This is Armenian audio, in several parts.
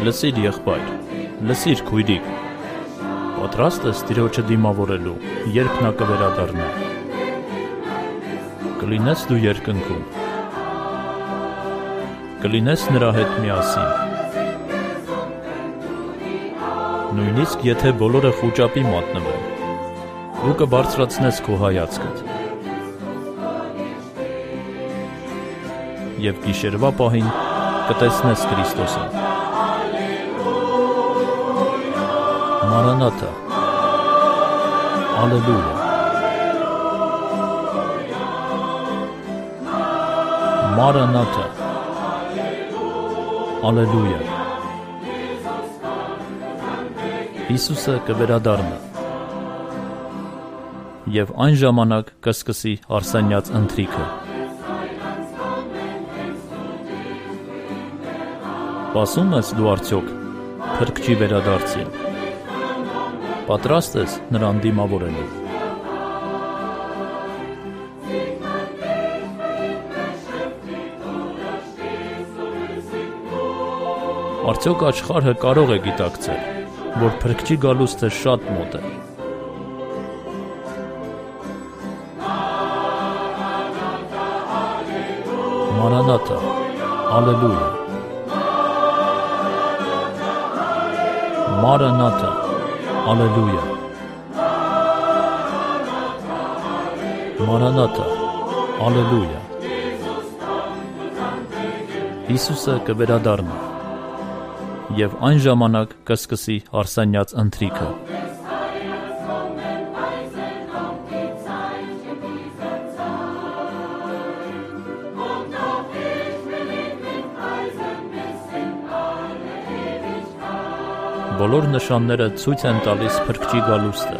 Լսիր եղբայր, լսիր քույրիկ, պատրաստ ես Տիրոջը դիմավորելու, երբ նա կվերադառնա։ Կլինես դու երկնքում, կլինես նրա հետ միասին։ Նույնիսկ եթե բոլորը խուճապի մատնվեն, դու կբարձրացնես քո հայացքդ և գիշերվա պահին կտեսնես Քրիստոսին։ Մարանաթա, Ալելույա, Մարանաթա, Ալելույա։ Հիսուսը կվերադառնա և այն ժամանակ կսկսի արսենյաց ընթրիքը։ Սպասում ես դու արդյոք Փրկչի վերադարձին։ Պատրաստ ես նրան դիմավորելու։ Արդյոք աշխարհը կարող է գիտակցել, որ Փրկչի գալուստը շատ մոտ է։ Մարանաթա, Ալելույա, Մարանաթա, Ալելույա, Մարանաթա, Ալելույա։ Հիսուսը կվերադառնա և այն ժամանակ կսկսի արսենյաց ընթրիքը։ Բոլոր նշանները ցույց են տալիս Փրկչի գալուստը։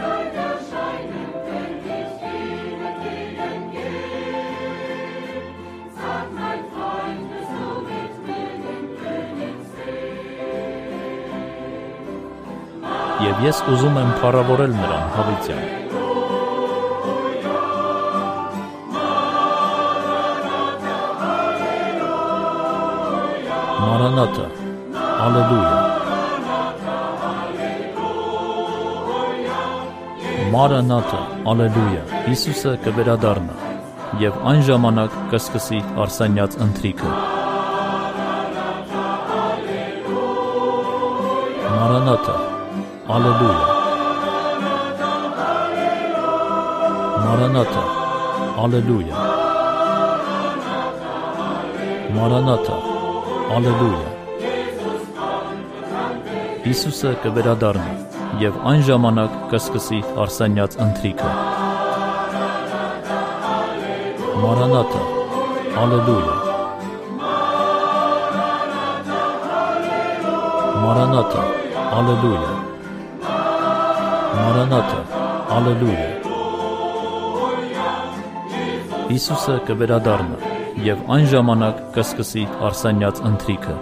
Եվ ես ուզում եմ փառավորել նրան հավիտյան։ Մարանաթա, Ալելույա, Մարանաթա, Ալելույա։ Հիսուսը կվերադառնա և այն ժամանակ կսկսի արսենյաց ընթրիքը։ Մարանաթա, Ալելույա, Մարանաթա, Ալելույա, Մարանաթա, Ալելույա։ Հիսուսը կվերադառնա և այն ժամանակ կսկսի արսենյաց ընթրիքը։ Մարանաթա, Ալելույա, Մարանաթա, Ալելույա, Մարանաթա, Ալելույա։ Հիսուսը կվերադառնա և այն ժամանակ կսկսի արսենյաց ընթրիքը։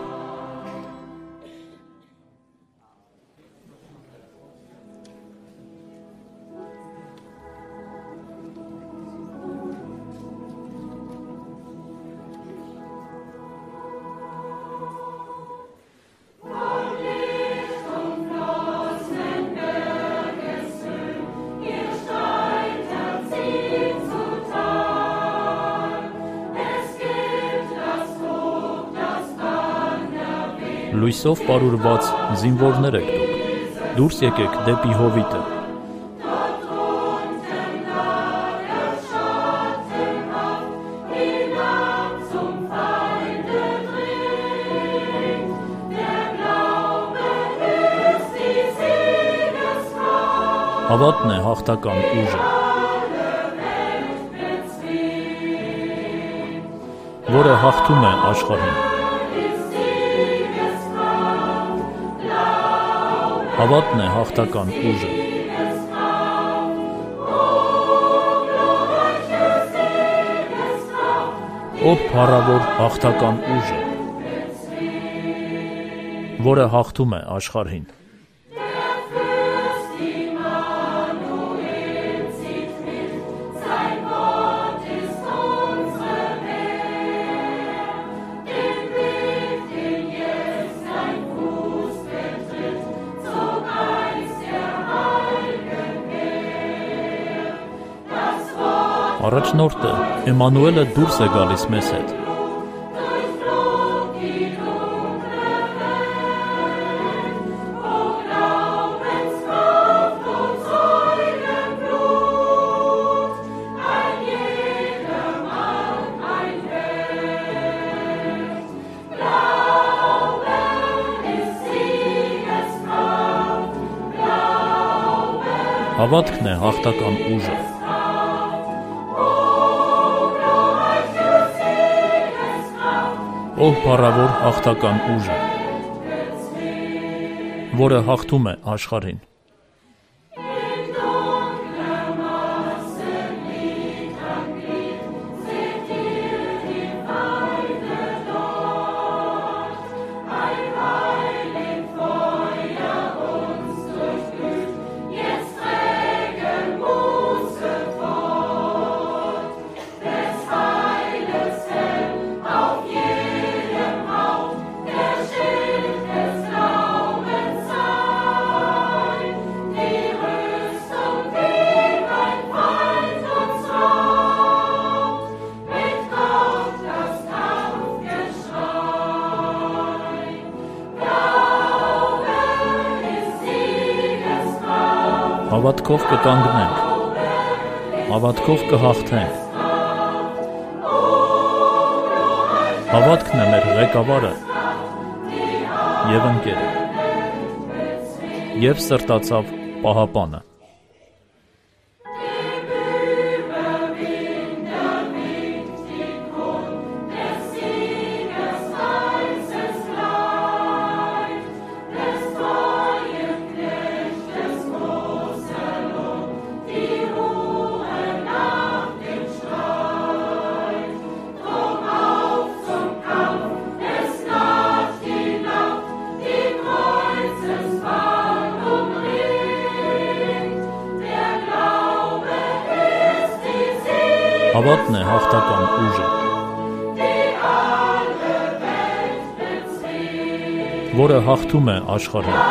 Լույսով պարուրված զինվորներ եք դուք, դուրս եկեք դեպի հովիտը։ Հավատն է հաղթական ուժը, որը հաղթում է աշխարհին։ Հավատն է հաղթական ուժը։ Ով փառավոր հաղթական ուժը, որը հաղթում է աշխարհին։ Առաջնորդը Էմանուելը դուրս է գալիս մեզ հետ։ Հավատքն է հաղթական ուժը։ Ով փառավոր հաղթական ուժը, որը հաղթում է աշխարհին։ Հավատքով կկանգնենք, հավատքով կհաղթենք։ Հավատքն է մեր ղեկավարը և ընկերը, և սրտացավ պահապանը։ Հավատն է հաղթական ուժը, որը հաղթում է աշխարհին։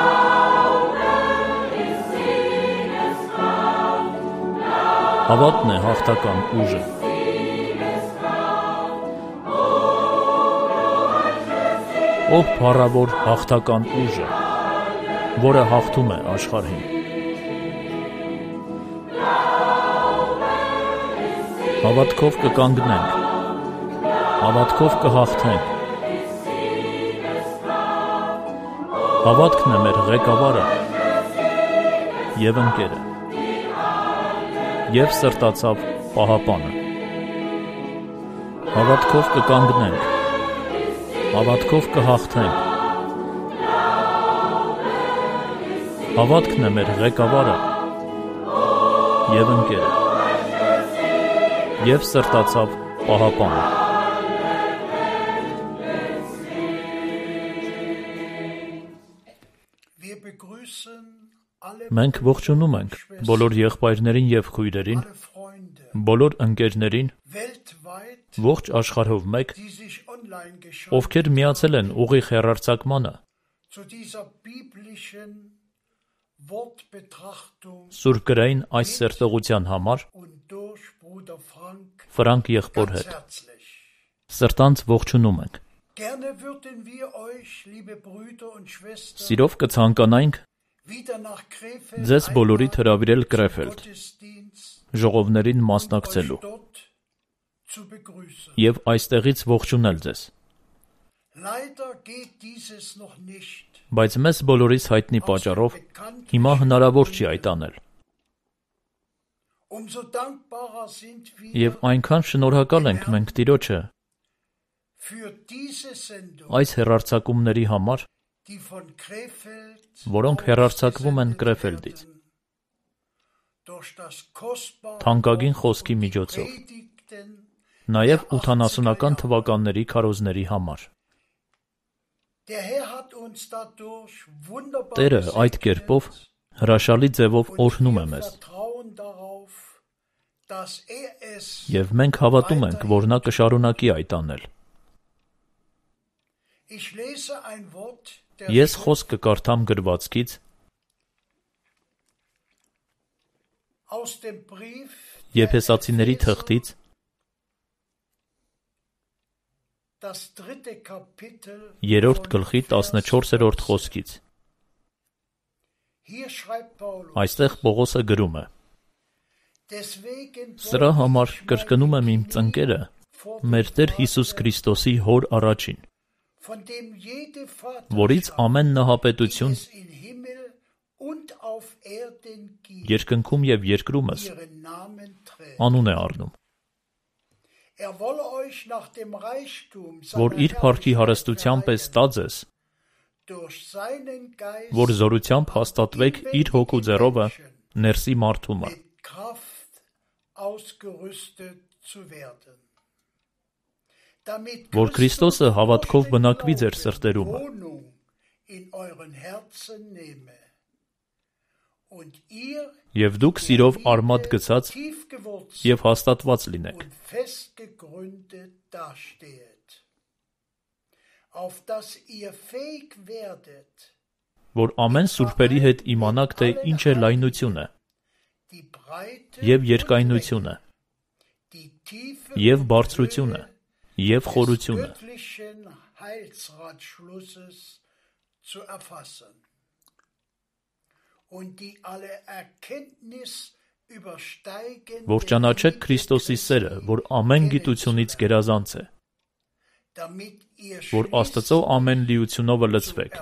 Հավատն է հաղթական ուժը, ով փառավոր հաղթական ուժը, որը հաղթում է աշխարհին։ Հավատքով կկանգնենք, հավատքով կհաղթենք։ Հավատքն է մեր ղեկավարը և ընկերը, և սրտացավ պահապանը։ Հավատքով կկանգնենք, հավատքով կհաղթենք։ Հավատքն է մեր ղեկավարը և ընկերը, և սրտացավ պահապանը։ Մենք ողջունում ենք բոլոր եղբայրներին և քույրերին, բոլոր ընկերներին, ողջ աշխարհով մեկ, ովքեր միացել են ուղիղ հեռարձակմանը, սուրբգրային այս սերտողության համար, Ֆրանկ եղբոր հետ։ Սրտանց ողջունում ենք։ Սիրով կցանկանայինք ձեզ բոլորիդ հրավիրել Կրեֆելդ ժողովներին մասնակցելու և այստեղից ողջունել ձեզ։ Բայց մեզ բոլորիս հայտնի պատճառով հիմա հնարավոր չի այդ անել։ Եվ այնքան շնորհակալ ենք մենք Տիրոջը այս հեռարձակումների համար, որոնք հեռարձակվում են Կրեֆելդից, թանկագին խոսքի միջոցով, նաև 80-ական թվականների քարոզների համար։ Տերը այդ կերպով հրաշալի ձևով օրհնում է մեզ։ Եվ մենք հավատում ենք, որ նա կշարունակի այդ անել։ Ես խոսք կկարդամ գրվածքից, Եփեսացիների թղթից 3-րդ գլխի 14-րդ խոսքից։ Այստեղ Պողոսը գրում է. Սրա համար կրկնում եմ իմ ծնկերը մեր Տեր Հիսուս Քրիստոսի հոր առաջին, որից ամեն նահապետություն երկնքում և երկրումս անուն է առնում, որ իր փառքի հարստության պես տա ձեզ, որ զորությամբ հաստատվեք իր հոգու ձեռովը ներսի մարդումը, որ Քրիստոսը հավատքով բնակվի ձեր սրտերումը, և դուք սիրով արմատ գցած և հաստատված լինեք, որ ամեն սուրբերի հետ իմանաք, թե ինչ է լայնությունը, և երկայնությունը, և բարձրությունը, և խորությունը, որ ճանաչեք Քրիստոսի սերը, որ ամեն գիտությունից գերազանց է, որ Աստծո ամեն լիությունովը լցվեք,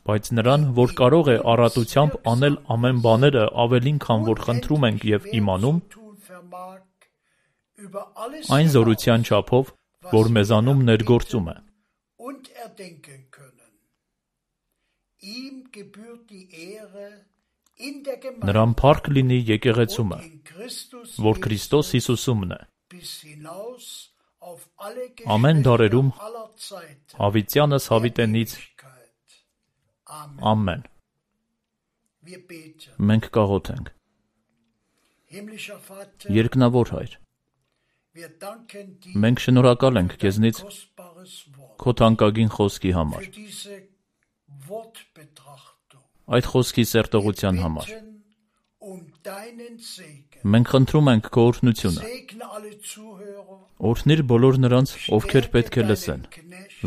բայց նրան, որ կարող է առատությամբ անել ամեն բաները ավելին, քան որ խնդրում ենք և իմանում, այն զորության չափով, որ մեզանում ներգործում է։ Նրան փառք լինի եկեղեցումը, որ Քրիստոս Հիսուսումն է, ամեն դարերում հավիտյանս հավիտենից, ամեն։ Մենք կաղոթենք։ Երկնավոր Հայր, մենք շնորհակալ ենք քեզնից քո թանկագին խոսքի համար, այդ խոսքի սերտողության համար։ Մենք խնդրում ենք քո օրհնությունը, օրհնիր բոլոր նրանց, ովքեր պետք է լսեն,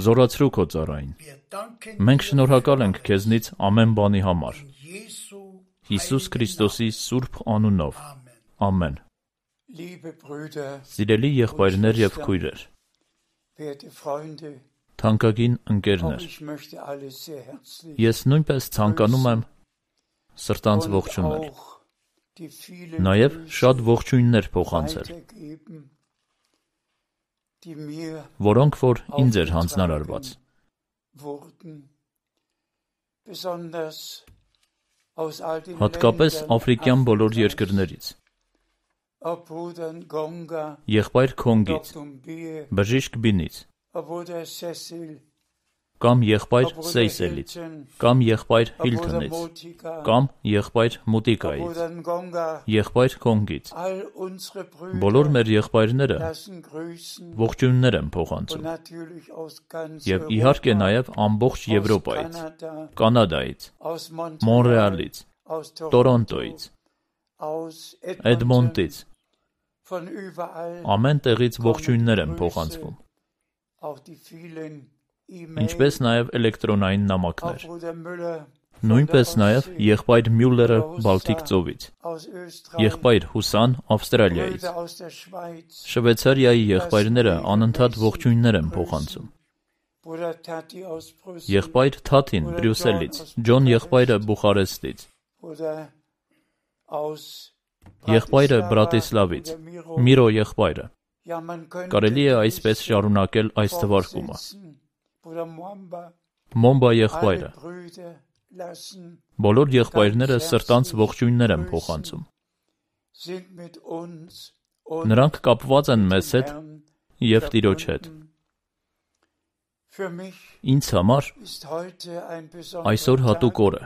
զորացրու քո ծառային։ Մենք շնորհակալ ենք քեզնից ամեն բանի համար, Հիսուս Քրիստոսի սուրբ անունով, ամեն։ Սիրելի եղբայրներ և քույրեր, թանկագին ընկերներ, ես նույնպես ցանկանում եմ սրտանց ողջունել, նաև շատ ողջույններ փոխանցել, որոնք որ ինձ էր հանձնարարված։ Հատկապես աֆրիկյան բոլոր երկրներից, եղբայր Քոնգից, բժիշկ Բինից, կամ եղբայր Սեյսելից, կամ եղբայր Հիլթոնից, կամ եղբայր Մուտիկայից, եղբայր Քոնգից, բոլոր մեր եղբայրները ողջույններ են փոխանցում, և իհարկե նաև ամբողջ Եվրոպայից, Կանադայից, Մոնրեալից, Տորոնտոյից, Էդմոնտից, ամեն տեղից ողջույններ են փոխանցվում, ինչպես նաև էլեկտրոնային նամակներ, նույնպես նաև եղբայր Մյուլլերը Բալթիկ ծովից, եղբայր Հուսան Ավստրալիայից, Շվեյցարիայի եղբայրները անընդհատ ողջույններ են փոխանցում, եղբայր Թաթին Բրյուսելից, Ջոն եղբայրը Բուխարեստից, եղբայրը Բրատիսլավից, Միրո եղբայրը։ Կարելի է այսպես շարունակել այս թվարկումը։ Մոմբա եղբայրը։ Բոլոր եղբայրները սրտանց ողջույններ են փոխանցում։ Նրանք կապված են մեզ հետ և Տիրոջ հետ։ Ինձ համար այսօր հատուկ օր է։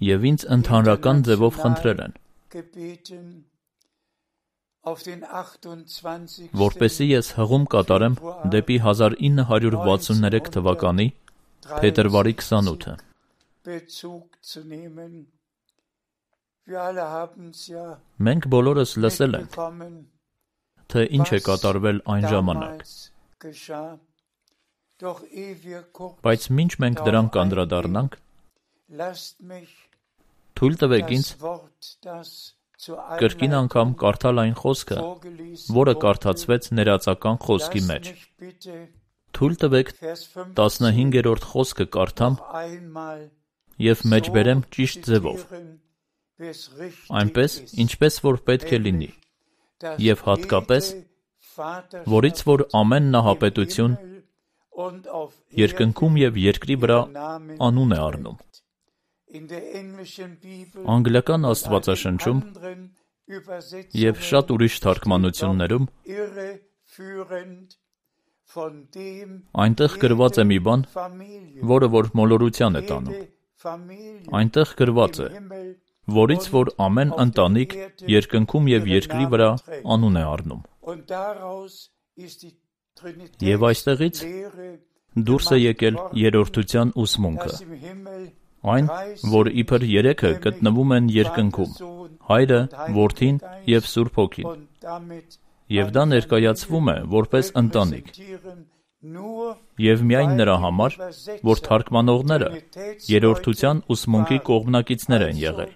Եվ ինձ ընդհանրական ձևով խնդրել են, որպեսզի ես հղում կատարեմ դեպի 1963 թվականի փետրվարի 28-ը։ Մենք բոլորս լսել ենք, թե ինչ է կատարվել այն ժամանակ, բայց մինչ մենք դրան կանդրադառնանք, թույլ տվեք ինձ կրկին անգամ կարդալ այն խոսքը, որը կարդացվեց ներածական խոսքի մեջ։ Թույլ տվեք 15-րդ խոսքը կարդամ և մեջբերեմ ճիշտ ձևով, այնպես, ինչպես որ պետք է լինի, և հատկապես, որից որ ամեն նահապետություն երկնքում և երկրի վրա անուն է առնում։ Անգլիական աստվածաշնչում և շատ ուրիշ թարգմանություններում այնտեղ գրված է մի բան, որը որ մոլորության է տանում։ Այնտեղ գրված է, որից որ ամեն ընտանիք երկնքում և երկրի վրա անուն է առնում։ Եվ այստեղից դուրս է եկել երրորդության ուսմունքը, այն, որ իբր երեքը գտնվում են երկնքում, Հայրը, Որդին և Սուրբ Հոգին, և դա ներկայացվում է որպես ընտանիք, և միայն նրա համար, որ թարգմանողները երրորդության ուսմունքի կողմնակիցներ են եղել։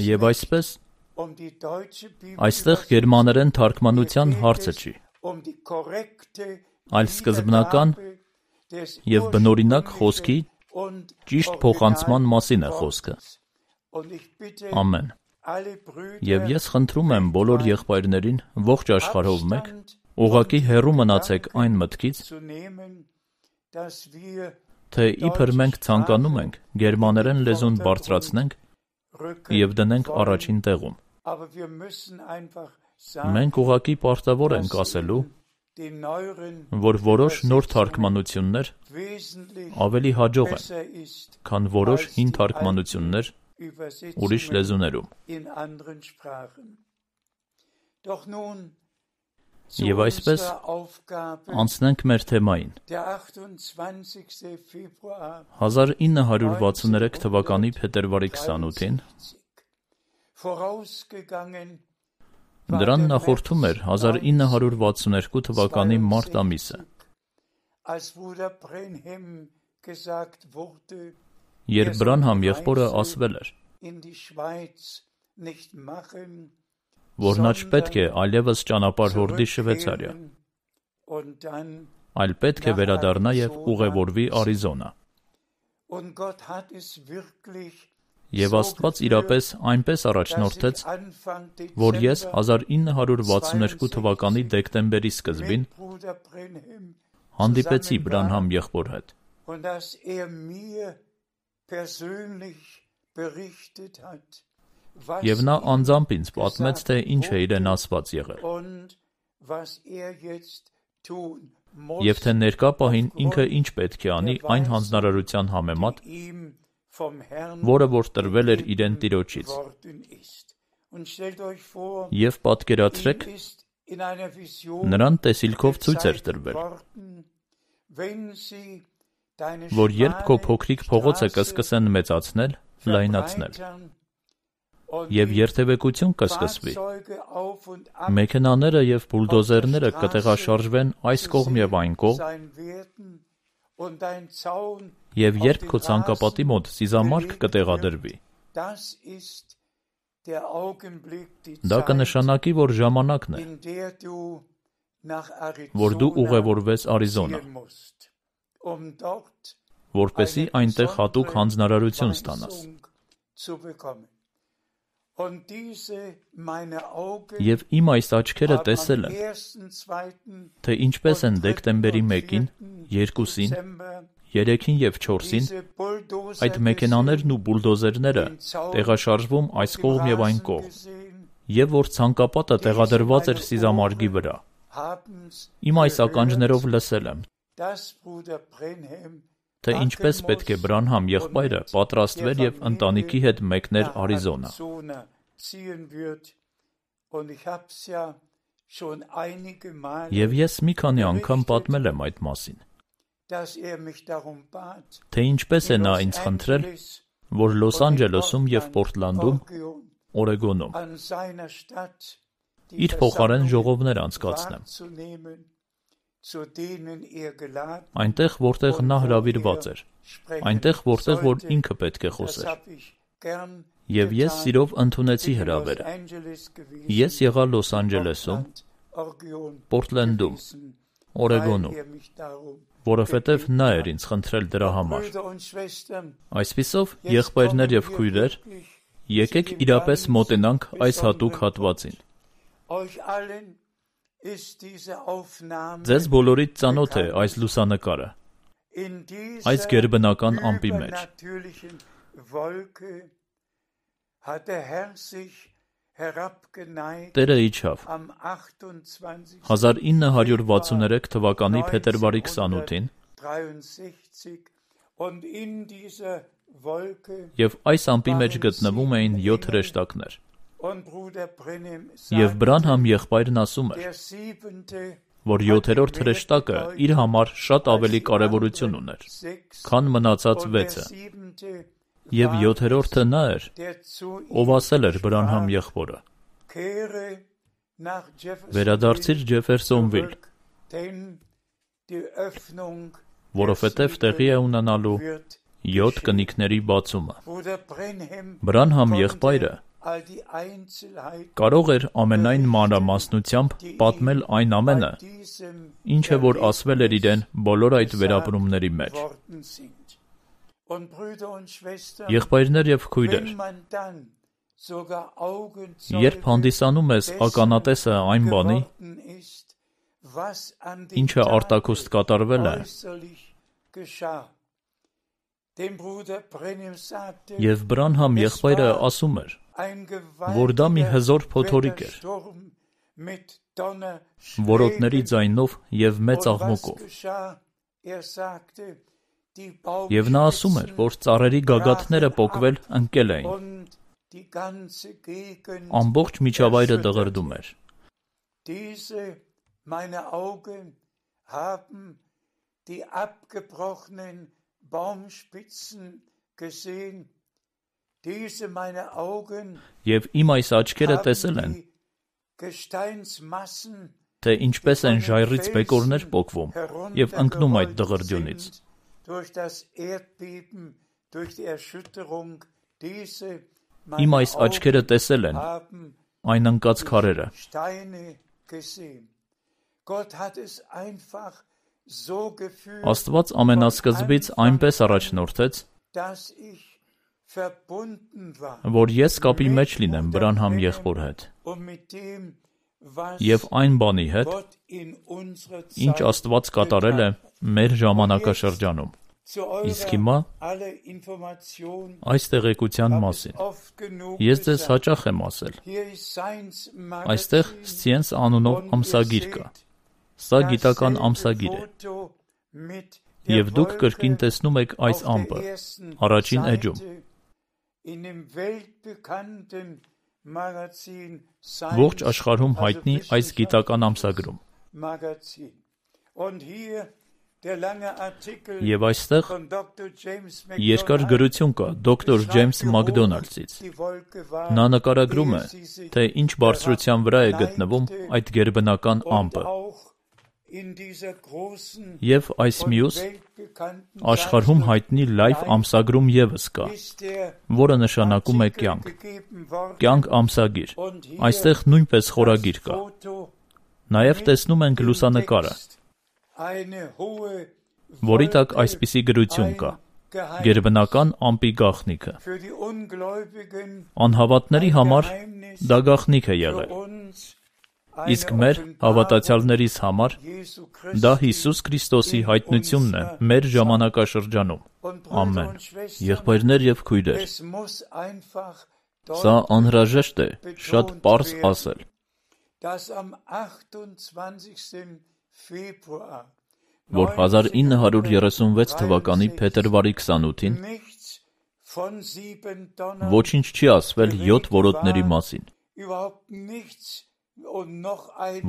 Եվ այսպես, այստեղ գերմաներեն թարգմանության հարցը չի, այլ սկզբնական և բնօրինակ խոսքի ճիշտ փոխանցման մասին է խոսքը։ Ամեն։ Եվ ես խնդրում եմ բոլոր եղբայրներին ողջ աշխարհով մեկ, ուղղակի հեռու մնացեք այն մտքից, թե իբր մենք ցանկանում ենք գերմաներեն լեզուն բարձրացնենք և դնենք առաջին տեղում։ Մենք ուղղակի պարտավոր ենք ասելու, որ որոշ նոր թարգմանություններ ավելի հաջող են, քան որոշ հին թարգմանություններ ուրիշ լեզուներում։ Եվ այսպես անցնենք մեր թեմային։ 1963 թվականի փետրվարի 28-ին դրան նախորդում էր 1962 թվականի մարտ ամիսը, երբ Բրանհամ եղբորը ասվել էր, որ նա չպետք է այլևս ճանապարհ հորդի Շվեյցարիա, այլ պետք է վերադառնա և ուղևորվի Արիզոնա։ Եվ Աստված իրապես այնպես առաջնորդեց, որ ես 1962 թվականի դեկտեմբերի սկզբին հանդիպեցի Բրանհամ եղբոր հետ։ Եվ նա անձամբ ինձ պատմեց, թե ինչ է իրեն ասված եղել, և թե ներկա պահին ինքը ինչ պետք է անի այն հանձնարարության համեմատ, որը որ տրվել էր իրեն Տիրոջից։ Եվ պատկերացրեք, նրան տեսիլքով ցույց էր տրվել, որ երբ քո փոքրիկ փողոցը կսկսեն մեծացնել, լայնացնել, և երթևեկություն կսկսվի, մեքենաները և բուլդոզերները կտեղաշարժվեն այս կողմ և այն կողմ, և երբ քո ցանկապատի մոտ սիզամարգ կտեղադրվի, դա կնշանակի, որ ժամանակն է, որ դու ուղևորվես Արիզոնա, որպեսզի այնտեղ հատուկ հանձնարարություն ստանաս։ Եվ իմ այս աչքերը տեսել են, թե ինչպես են դեկտեմբերի 1-ին, 2-ին, 3-ին և 4-ին այդ մեքենաներն ու բուլդոզերները տեղաշարժվում այս կողմ և այն կողմ, և որ ցանկապատը տեղադրված էր սիզամարգի վրա։ Իմ այս ականջներով լսել եմ, թե ինչպես պետք է Բրանհամ եղբայրը պատրաստվեր և ընտանիքի հետ մեկներ Արիզոնա։ Եվ ես մի քանի անգամ պատմել եմ այդ մասին, թե ինչպես է նա ինձ խնդրել, որ Լոս Անջելեսում և Պորտլանդում, Օրեգոնում իր փոխարեն ժողովներ անցկացնեմ, այնտեղ, որտեղ նա հրավիրված էր, այնտեղ, որտեղ որ ինքը պետք է խոսեր, և ես սիրով ընդունեցի հրավերը։ Ես եղա Լոս Անջելեսում, Պորտլանդում, Օրեգոնում, որովհետև նա էր ինձ խնդրել դրա համար։ Այսպիսով, եղբայրներ և քույրեր, եկեք իրապես մոտենանք այս հատուկ հատվածին։ Ձեզ բոլորիդ ծանոթ է այս լուսանկարը, այս գերբնական ամպի մեջ։ Տերը իջավ 1963 թվականի փետրվարի 28-ին և այս ամպի մեջ գտնվում էին 7 հրեշտակներ։ Եվ Բրանհամ եղբայրն ասում էր, որ 7-րդ հրեշտակը իր համար շատ ավելի կարևորություն ուներ, քան մնացած 6-ը, և 7-րդը նա էր, ով ասել էր Բրանհամ եղբորը. «Վերադարձիր Ջեֆերսոնվիլ, որովհետև տեղի է ունենալու 7 կնիկների բացումը»։ Բրանհամ եղբայրը կարող էր ամենայն մանրամասնությամբ պատմել այն ամենը, ինչը որ ասվել էր իրեն բոլոր այդ վերապրումների մեջ։ Եղբայրներ և քույրեր, երբ հանդիսանում ես ականատեսը այն բանի, ինչը արտաքուստ կատարվել է, և Բրանհամ եղբայրը ասում էր, որ դա մի հզոր փոթորիկ էր, որոտների ձայնով և մեծ աղմուկով։ Եվ նա ասում էր, որ ծառերի գագաթները պոկվել ընկել էին, ամբողջ միջավայրը դղրդում էր։ Եվ իմ այս աչքերը տեսել են, թե ինչպես են ժայռից բեկորներ պոկվում և ընկնում այդ դղրդյունից։ Իմ այս աչքերը տեսել են այն ընկած քարերը։ Աստված ամենասկզբից այնպես առաջնորդեց, որ ես կապի մեջ լինեմ Բրանհամ եղբոր հետ և այն բանի հետ, ինչ Աստված կատարել է մեր ժամանակաշրջանում։ Իսկ հիմա այս տեղեկության մասին ես ձեզ հաճախ եմ ասել, այստեղ Սցիենս անունով ամսագիր կա։ Սա գիտական ամսագիր է։ Եվ դուք կրկին տեսնում եք այս ամպը առաջին էջում, ողջ աշխարհում հայտնի այս գիտական ամսագրում։ Եվ այստեղ երկար գրություն կա դոկտոր Ջեյմս Մակդոնալդսից։ Նա նկարագրում է, թե ինչ բարձրության վրա է գտնվում այդ գերբնական ամպը։ Եվ այս մյուս աշխարհում հայտնի լայվ ամսագրում ևս կա, որը նշանակում է կյանք։ Կյանք ամսագիր։ Այստեղ նույնպես խորագիր կա։ Նաև տեսնում ենք լուսանկարը, որի տակ այսպիսի գրություն կա. գերբնական ամպի գաղտնիքը։ Անհավատների համար դա գաղտնիք է եղել, իսկ մեր հավատացյալներիս համար դա Հիսուս Քրիստոսի հայտնությունն է մեր ժամանակաշրջանում։ Ամեն։ Եղբայրներ և քույրեր, սա անհրաժեշտ է շատ պարզ ասել, որ 1936 թվականի փետրվարի 28-ին ոչինչ չի ասվել 7 որոտների մասին։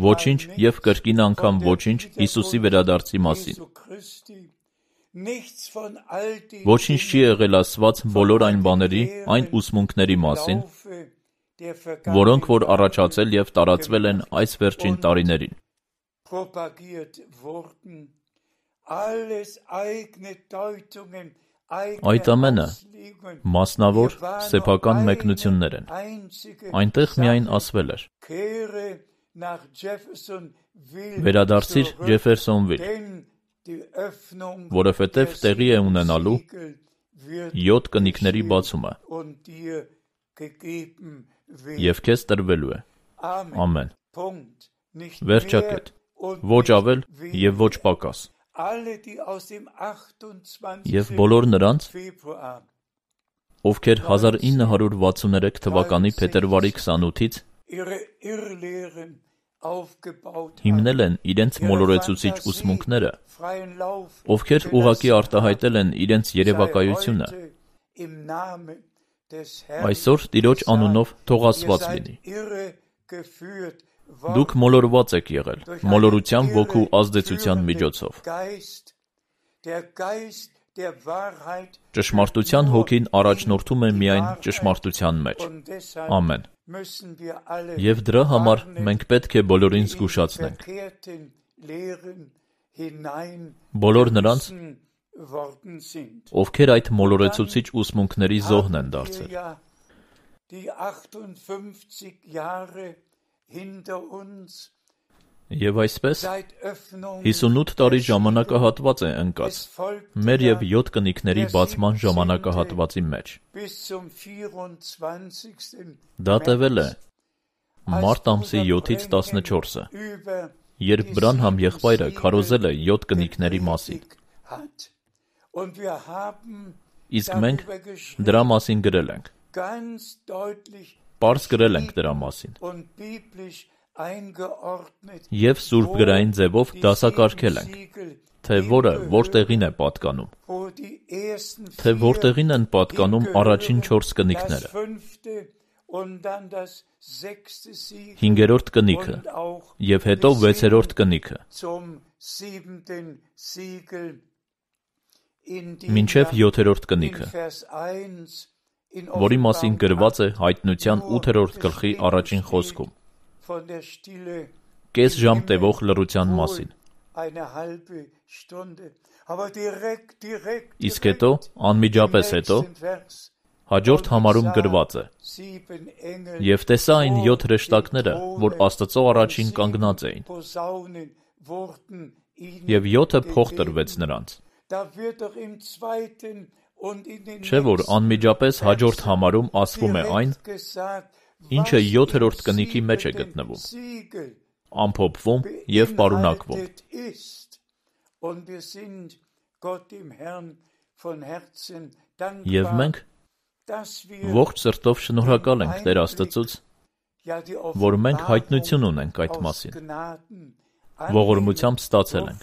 Ոչինչ և կրկին անգամ ոչինչ Հիսուսի վերադարձի մասին։ Ոչինչ չի եղել ասված բոլոր այն բաների, այն ուսմունքների մասին, որոնք որ առաջացել և տարածվել են այս վերջին տարիներին։ Այդ ամենը մասնավոր սեփական մեկնություններ են։ Այնտեղ միայն ասվել էր. «Վերադարձիր Ջեֆերսոնվիլ, որովհետև տեղի է ունենալու 7 կնիկների բացումը, և քեզ տրվելու է»։ Ամեն։ Վերջակետ։ Ոչ ավել և ոչ պակաս։ Եվ բոլոր նրանց, ովքեր 1963 թվականի փետրվարի 28-ից հիմնել են իրենց մոլորեցուցիչ ուսմունքները, ովքեր ուղղակի արտահայտել են իրենց երևակայությունը, այսօր Տիրոջ անունով թող ասված լինի։ Դուք մոլորված եք եղել, մոլորության ոգու ազդեցության միջոցով։ Ճշմարտության հոգին առաջնորդում է միայն ճշմարտության մեջ։ Ամեն։ Եվ դրա համար մենք պետք է բոլորին զգուշացնենք։ Բոլոր նրանց, ովքեր այդ մոլորեցուցիչ ուսմունքների զոհն են դարձել։ Եվ այսպես 58 տարի ժամանակահատված է ընկած մեր և 7 կնիկների բացման ժամանակահատվածի մեջ։ Դա տևել է մարտ ամսի 7-ից 14-ը, երբ Բրանհամ եղբայրը քարոզել է 7 կնիկների մասին։ Իսկ մենք դրա մասին գրել ենք։ Պարզ գրել ենք դրա մասին։ Եվ սուրբգրային ձևով դասակարգել ենք, թե որը որտեղին է պատկանում, թե որտեղին են պատկանում առաջին 4 կնիկները, 5-րդ կնիքը և հետո 6-րդ կնիքը, մինչև 7-րդ կնիքը, որի մասին գրված է Հայտնության 8-րդ գլխի առաջին խոսքում, կես ժամ տևող լռության մասին։ Իսկ հետո, անմիջապես հետո, հաջորդ համարում գրված է. «Եվ տեսա այն 7 հրեշտակները, որ Աստծո առաջին կանգնած էին, և 7 փող տրվեց նրանց»։ Չէ՞ որ անմիջապես հաջորդ համարում ասվում է այն, ինչը 7-րդ կնիքի մեջ է գտնվում, ամփոփվում և պարունակվում։ Եվ մենք ողջ սրտով շնորհակալ ենք Տեր Աստծուց, որ մենք հայտնություն ունենք այդ մասին, ողորմությամբ ստացել ենք։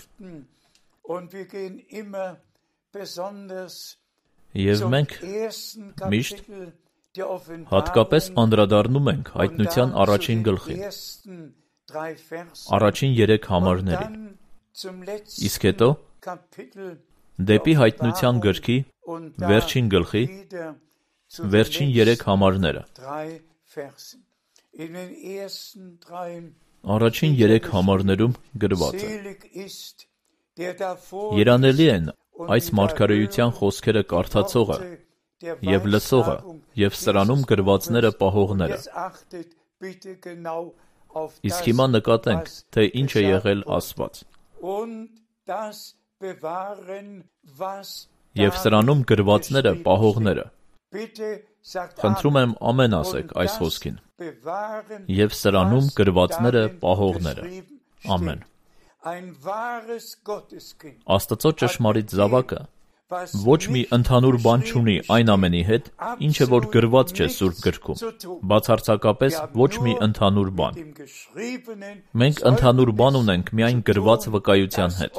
Եվ մենք միշտ հատկապես անդրադառնում ենք Հայտնության առաջին գլխին, առաջին 3 համարներին, իսկ հետո դեպի Հայտնության գրքի վերջին գլխի վերջին 3 համարները։ Առաջին 3 համարներում գրված է. «Երանելի են այս մարգարեության խոսքերը կարդացողը և լսողը և սրանում գրվածները պահողները»։ Իսկ հիմա նկատենք, թե ինչ է եղել ասված. «Եվ սրանում գրվածները պահողները»։ Խնդրում եմ ամեն ասեք այս խոսքին։ «Եվ սրանում գրվածները պահողները»։ Ամեն։ Աստծո ճշմարիտ զավակը ոչ մի ընդհանուր բան չունի այն ամենի հետ, ինչը որ գրված չէ Սուրբ գրքում, բացարձակապես ոչ մի ընդհանուր բան։ Մենք ընդհանուր բան ունենք միայն գրված վկայության հետ,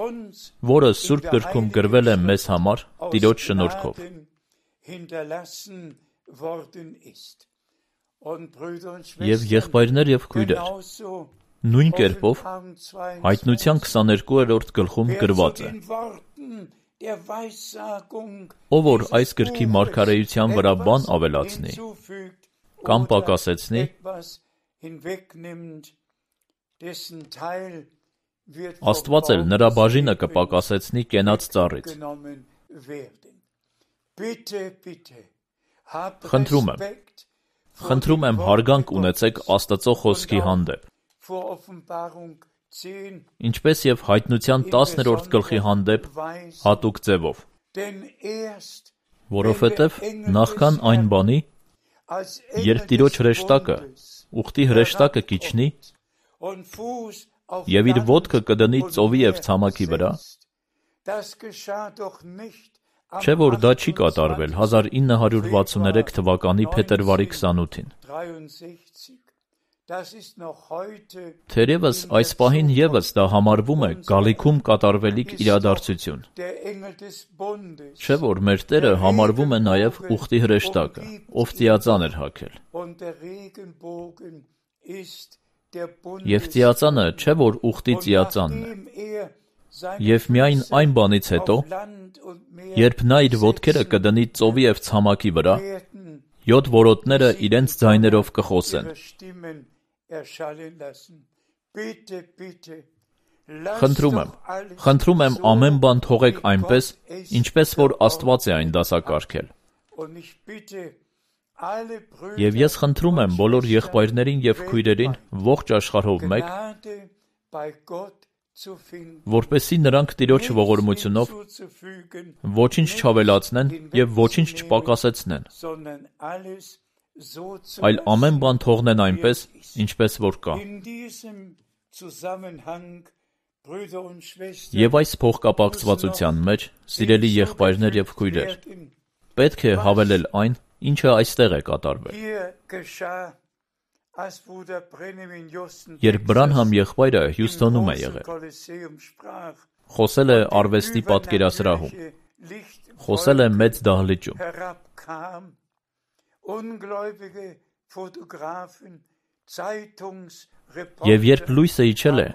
որը Սուրբ գրքում գրվել է մեզ համար Տիրոջ շնորհքով։ Եվ եղբայրներ եւ քույրեր, նույն կերպով Հայտնության 22-րդ գլխում գրված է. Ով որ այս գրքի մարգարեության վրա բան ավելացնի կամ պակասեցնի, Աստված էլ նրա բաժինը կպակասեցնի կենաց ծառից։ Խնդրում եմ հարգանք ունեցեք Աստծո խոսքի հանդեպ, ինչպես եւ Հայտնության 10-րդ գլխի հանդեպ հատուկ ձևով, որովհետեւ նախքան այն բանի, երբ Տիրոջ հրեշտակը, ուխտի հրեշտակը կիջնի եւ իր ոտքը կդնի ծովի եւ ցամաքի վրա, չէ՞ որ դա չի կատարվել 1963 թվականի փետրվարի 28-ին։ Թերևս այս պահին եւս դա համարվում է գալիքում կատարվելիք իրադարձություն։ Չէ՞ որ մեր Տերը համարվում է նաեւ ուխտի հրեշտակը, ով ծիածան էր հագել։ Եվ ծիածանը չէ՞ որ ուխտի ծիածանն է։ Եվ միայն այն բանից հետո, երբ նա իր ոտքերը կդնի ծովի եւ ցամաքի վրա, 7 որոտները իրենց ձայներով կխոսեն։ Խնդրում եմ ամեն բան թողեք այնպես, ինչպես որ Աստված է այն դասակարգել։ Եվ ես խնդրում եմ բոլոր եղբայրներին եւ քույրերին ողջ աշխարհով մեկ, որպեսզի նրանք Տիրոջ ողորմությունով ոչինչ չավելացնեն եւ ոչինչ չպակասեցնեն, այլ ամեն բան թողնեն այնպես, ինչպես որ կա։ Եվ այս փոխկապակցվածության մեջ, սիրելի եղբայրներ եւ քույրեր, պետք է հավելել այն, ինչը այստեղ է կատարվել։ Երբ Բրանհամ եղբայրը Հյուսթոնում է եղել, խոսել է արվեստի պատկերասրահում, խոսել է մեծ դահլիճում, եւ երբ լույսը իջել է,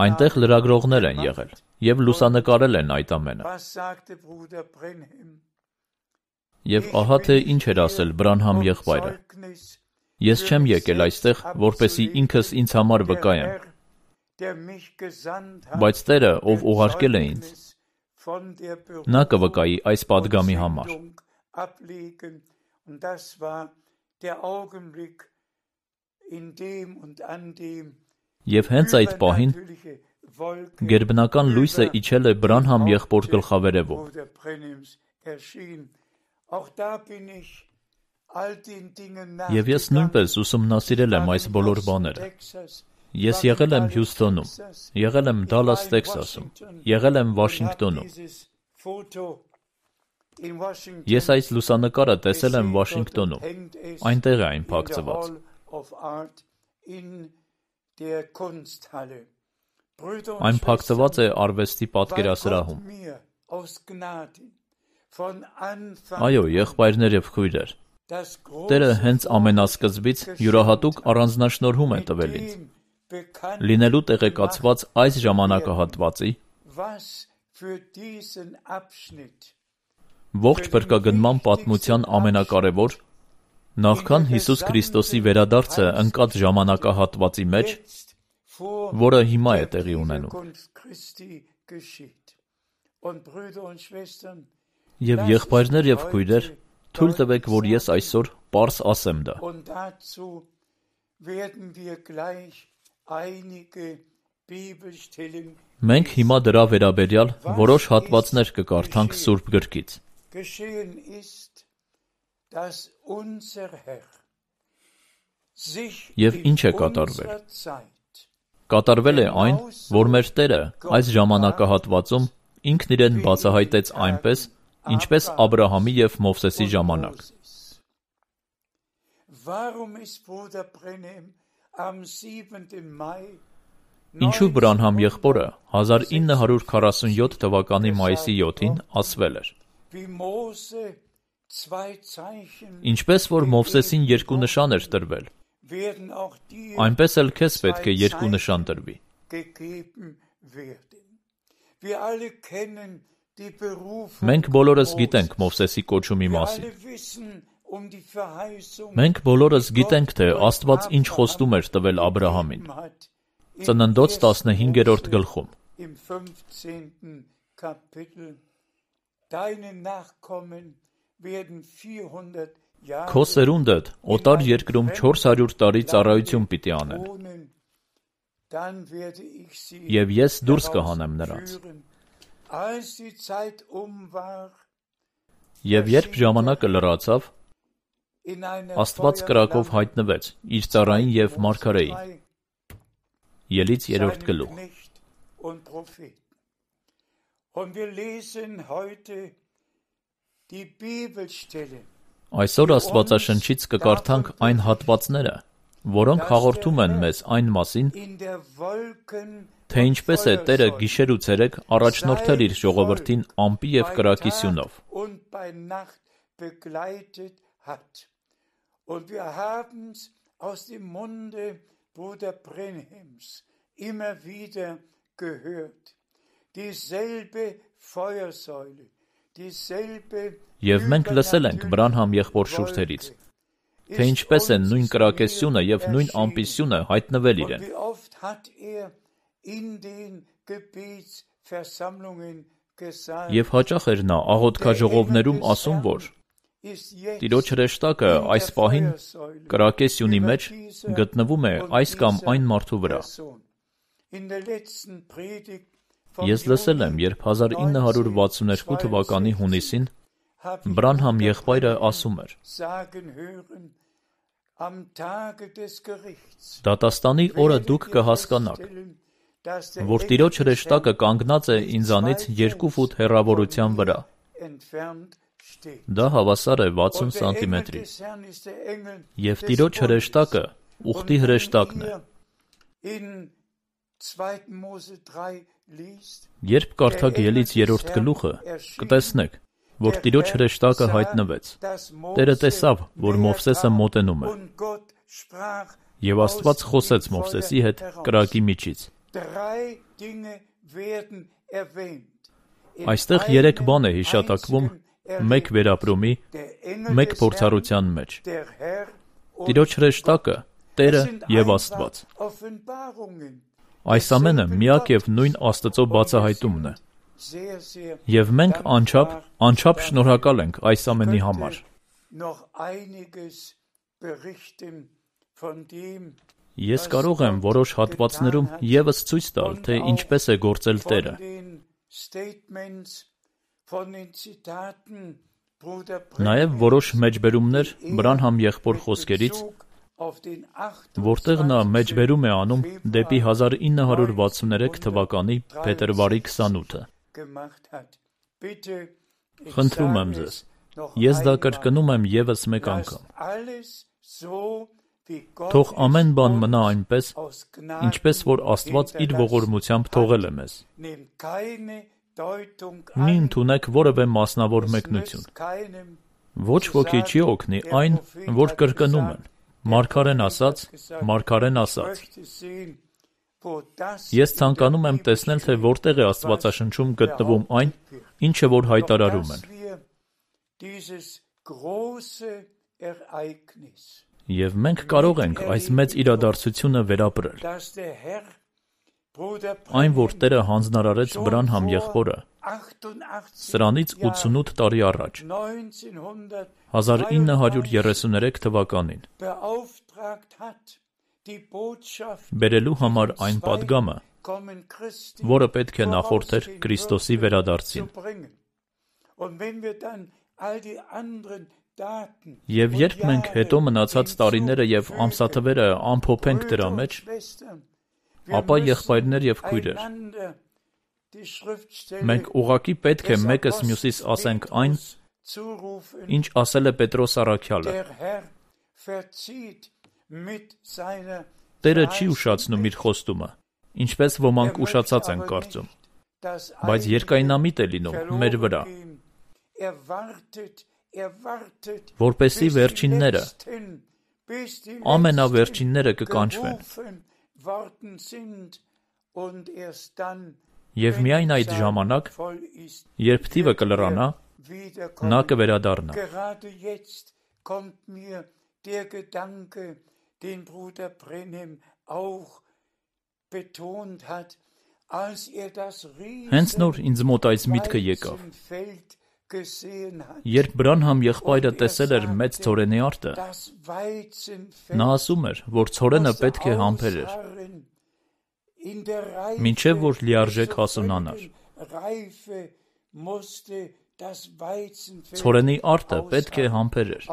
այնտեղ լրագրողներ են եղել եւ լուսանկարել են այդ ամենը։ Եվ ահա թե ինչ էր ասել Բրանհամ եղբայրը. Ես չեմ եկել այստեղ, որպեսզի ինքս ինձ համար վկայեմ, բայց Տերը, ով ուղարկել է ինձ, նա կվկայի այս պատգամի համար։ Եվ հենց այդ պահին գերբնական լույսը իջել է Բրանհամ եղբոր գլխավերևում։ Եվ ես նույնպես ուսումնասիրել եմ այս բոլոր բաները։ Ես եղել եմ Հյուսթոնում, եղել եմ Դալլաս, Տեքսասում, եղել եմ Վաշինգտոնում։ Ես այս լուսանկարը տեսել եմ Վաշինգտոնում, այնտեղ է այն փակցված։ Այն փակցված է արվեստի պատկերասրահում։ Այո, եղբայրներ եւ քույրեր, Տերը հենց ամենասկզբից յուրահատուկ առանձնաշնորհում է տվել ինձ, լինելու տեղեկացված այս ժամանակահատվածի, ողջ փրկագնման պատմության ամենակարևոր, նախքան Հիսուս Քրիստոսի վերադարձը ընկած ժամանակահատվածի մեջ, որը հիմա է տեղի ունենում։ Եվ եղբայրներ եւ քույրեր, թույլ տվեք, որ ես այսօր պարզ ասեմ դա։ Մենք հիմա դրա վերաբերյալ որոշ հատվածներ կկարդանք Սուրբ գրքից։ Եվ ինչ է կատարվել։ Կատարվել է այն, որ մեր Տերը այս ժամանակահատվածում ինքն իրեն բացահայտեց այնպես, ինչպես Աբրահամի եւ Մովսեսի ժամանակ։ Ինչու Բրանհամ եղբորը 1947 թվականի մայիսի 7-ին ասվել էր. Ինչպես որ Մովսեսին երկու նշան էր տրվել, այնպես էլ քեզ պետք է երկու նշան տրվի։ Մենք բոլորս գիտենք Մովսեսի կոչումի մասին։ Մենք բոլորս գիտենք, թե Աստված ինչ խոստում էր տվել Աբրահամին։ Ծննդոց 15-րդ գլխում։ Քո սերունդդ օտար երկրում 400 տարի ծառայություն պիտի անեն, և ես դուրս կհանեմ նրանց։ Եվ երբ ժամանակը լրացավ, Աստված կրակով հայտնվեց իր ծառային և մարգարեին։ Ելից 3-րդ գլուխ։ Այսօր Աստվածաշնչից կկարդանք այն հատվածները, որոնք հաղորդում են մեզ այն մասին, թե ինչպես է Տերը գիշեր ու ցերեկ առաջնորդել իր ժողովրդին ամպի և կրակի սյունով։ Եվ մենք լսել ենք Բրանհամ եղբոր շուրթերից, թե ինչպես են նույն կրակեսյունը և նույն ամպիսյունը հայտնվել իրեն։ Եվ հաճախ էր նա աղոթքաժողովներում ասում, որ Տիրոջ հրեշտակը այս պահին կրակեսյունի մեջ գտնվում է այս կամ այն մարդու վրա։ Ես լսել եմ, երբ 1962 թվականի հունիսին Բրանհամ եղբայրը ասում էր. «Դատաստանի օրը դուք կհասկանաք, որ Տիրոջ հրեշտակը կանգնած է ինձանից 2 ֆուտ հեռավորության վրա»։ Դա հավասար է 60 սանտիմետրի։ Եվ Տիրոջ հրեշտակը ուխտի հրեշտակն է։ Երբ կարդաք Ելից 3-րդ գլուխը, կտեսնեք, որ Տիրոջ հրեշտակը հայտնվեց։ Տերը տեսավ, որ Մովսեսը մոտենում է։ Եվ Աստված խոսեց Մովսեսի հետ կրակի միջից։ Այստեղ 3 բան է հիշատակվում մեկ վերապրումի, մեկ փորձառության մեջ։ Տիրոջ հրեշտակը, Տերը և Աստված։ Այս ամենը միակ և նույն Աստծո բացահայտումն է։ Եվ մենք անչափ շնորհակալ ենք այս ամենի համար։ Ես կարող եմ որոշ հատվածներում ևս ցույց տալ, թե ինչպես է գործել Տերը։ Նաև որոշ մեջբերումներ Բրանհամ եղբոր խոսքերից, որտեղ նա մեջբերում է անում դեպի 1963 թվականի փետրվարի 28-ը։ Խնդրում եմ ձեզ, ես դա կրկնում եմ ևս մեկ անգամ։ Թող ամեն բան մնա այնպես, ինչպես որ Աստված իր ողորմությամբ թողել է մեզ։ Մի ընդունեք որևէ մասնավոր մեկնություն։ Ոչ ոքի չի օգնի այն, որ կրկնում են։ Մարգարեն ասաց, մարգարեն ասաց։ Ես ցանկանում եմ տեսնել, թե որտեղ է Աստվածաշնչում գտնվում այն, ինչը որ հայտարարում են։ Եվ մենք կարող ենք այս մեծ իրադարձությունը վերապրել։ Այն, որ Տերը հանձնարարեց Բրանհամ եղբորը, սրանից 88 տարի առաջ, 1933 թվականին, բերելու համար այն պատգամը, որը պետք է նախորդեր Քրիստոսի վերադարձին։ Եվ երբ մենք հետո մնացած տարիները և ամսաթվերը ամփոփենք դրա մեջ, ապա եղբայրներ և քույրեր, մենք ուղղակի պետք է մեկս մյուսիս ասենք այն, ինչ ասել է Պետրոս առաքյալը. Տերը չի ուշացնում իր խոստումը, ինչպես ոմանք ուշացած են կարծում, բայց երկայնամիտ է լինում մեր վրա, որպեսզի վերջինները ամենավերջինները կկանչվեն։ Եվ միայն այդ ժամանակ, երբ թիվը կլրանա, նա կվերադառնա։ Հենց նոր ինձ մոտ այս միտքը եկավ։ Երբ Բրանհամ եղբայրը տեսել էր մեծ ցորենի արտը, նա ասում էր, որ ցորենը պետք է համբերեր, մինչև որ լիարժեք հասունանար։ Ցորենի արտը պետք է համբերեր։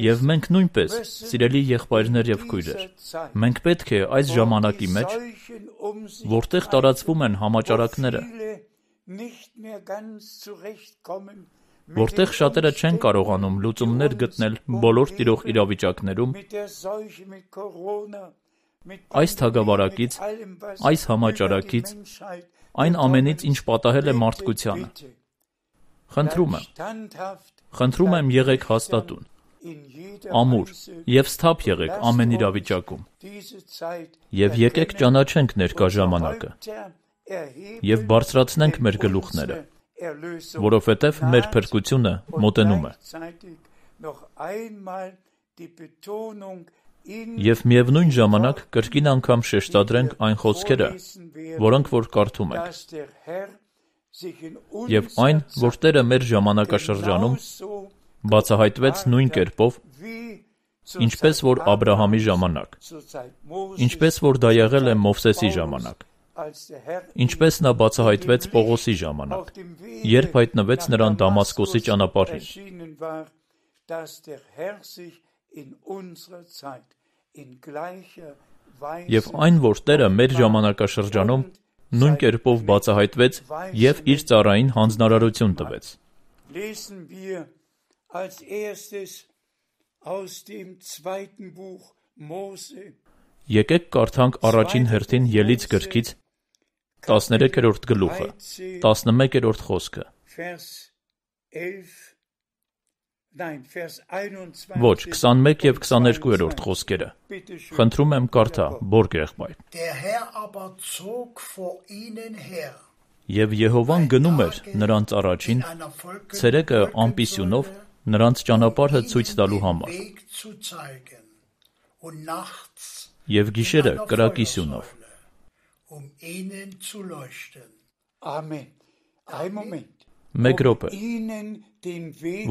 Եվ մենք նույնպես, սիրելի եղբայրներ եւ քույրեր, մենք պետք է այս ժամանակի մեջ, որտեղ տարածվում են համաճարակները, որտեղ շատերը չեն կարողանում լուծումներ գտնել բոլոր տիրող իրավիճակներում, այս թագավարակից, այս համաճարակից, այն ամենից, ինչ պատահել է մարդկությանը։ Խնդրում եմ եղեք հաստատուն, ամուր եւ սթափ եղեք ամեն իրավիճակում։ Եվ եկեք ճանաչենք ներկա ժամանակը եւ բարձրացնենք մեր գլուխները, որովհետեւ մեր փրկությունը մոտենում է։ Եվ միևնույն ժամանակ կրկին անգամ շեշտադրենք այն խոսքերը, որոնք որ կարդում ենք։ Եվ այն, որ Տերը մեր ժամանակաշրջանում բացահայտվեց նույն կերպով, ինչպես որ Աբրահամի ժամանակ, ինչպես որ դա եղել է Մովսեսի ժամանակ, ինչպես նա բացահայտվեց Պողոսի ժամանակ, երբ հայտնվեց նրան Դամասկոսի ճանապարհին։ Եվ այն, որ Տերը մեր ժամանակաշրջանում նույն կերպով բացահայտվեց եւ իր ծառային հանձնարարություն տվեց։ Եկեք կարդանք առաջին հերթին Ելից գրքից 13-րդ գլուխը, 11-րդ խոսքը։ Ոչ, 21 եւ 22-րդ խոսքերը։ Խնդրում եմ կարդա, Բորգ եղբայր։ Եվ Եհովան գնում էր նրանց առաջին, ցերեկը ամպիսյունով նրանց ճանապարհը ցույց տալու համար, եւ գիշերը կրակիսյունով։ Մեկ րոպե,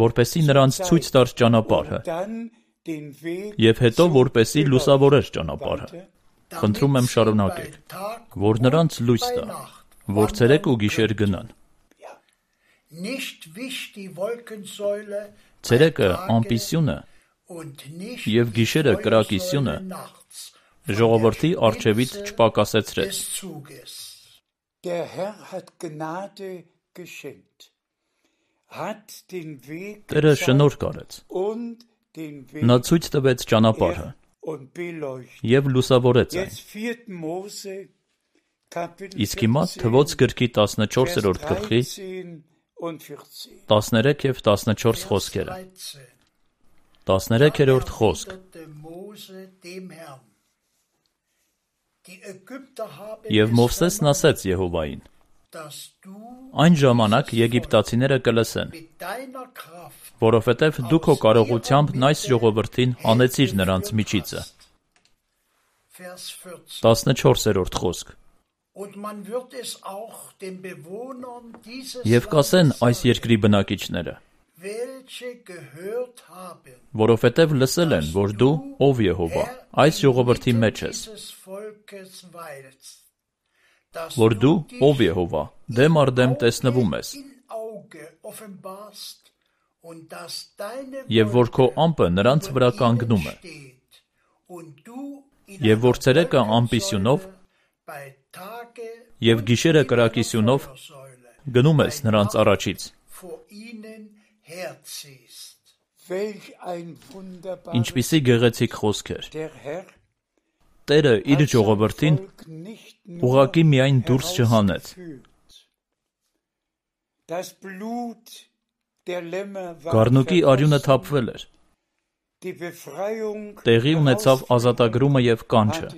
որպեսի նրանց ցույց տար ճանապարհը, եւ հետո որպեսի լուսավորեր ճանապարհը։ Խնդրում եմ շարունակեք, որ նրանց լույս տա, որ ցերեկ ու գիշեր գնան։ Ցերեկը ամպիսյունը եւ գիշերը կրակիսյունը ժողովրդի առջևից չպակասեցրեց։ Տերը շնորհք արեց։ Նա ցույց տվեց ճանապարհը եւ լուսավորեց այն։ Իսկ հիմա Թվոց գրքի 14-րդ գլխի 13 եւ 14 խոսքերը։ 13-րդ խոսք։ Եվ Մովսեսն ասեց Եհովային. Այն ժամանակ եգիպտացիները կլսեն, որովհետև դու քո կարողությամբ այս ժողովրդին հանեցիր նրանց միջիցը։ 14-րդ խոսք։ Եվ կասեն այս երկրի բնակիչները, որովհետև լսել են, որ դու, ով Եհովա, այս ժողովրդի մեջ ես, որ դու, ով Եհովա, դեմ առ դեմ տեսնվում ես, եւ որ քո ամպը նրանց վրա կանգնում է, եւ որ ցերեկը ամպիսյունով եւ գիշերը կրակիսյունով գնում ես նրանց առաջից։ Ինչպիսի գեղեցիկ խոսքեր։ Տերը իր ժողովրդին ուղղակի միայն դուրս չհանեց։ Գառնուկի արյունը թափվել էր։ Տեղի ունեցավ ազատագրումը եւ կանչը։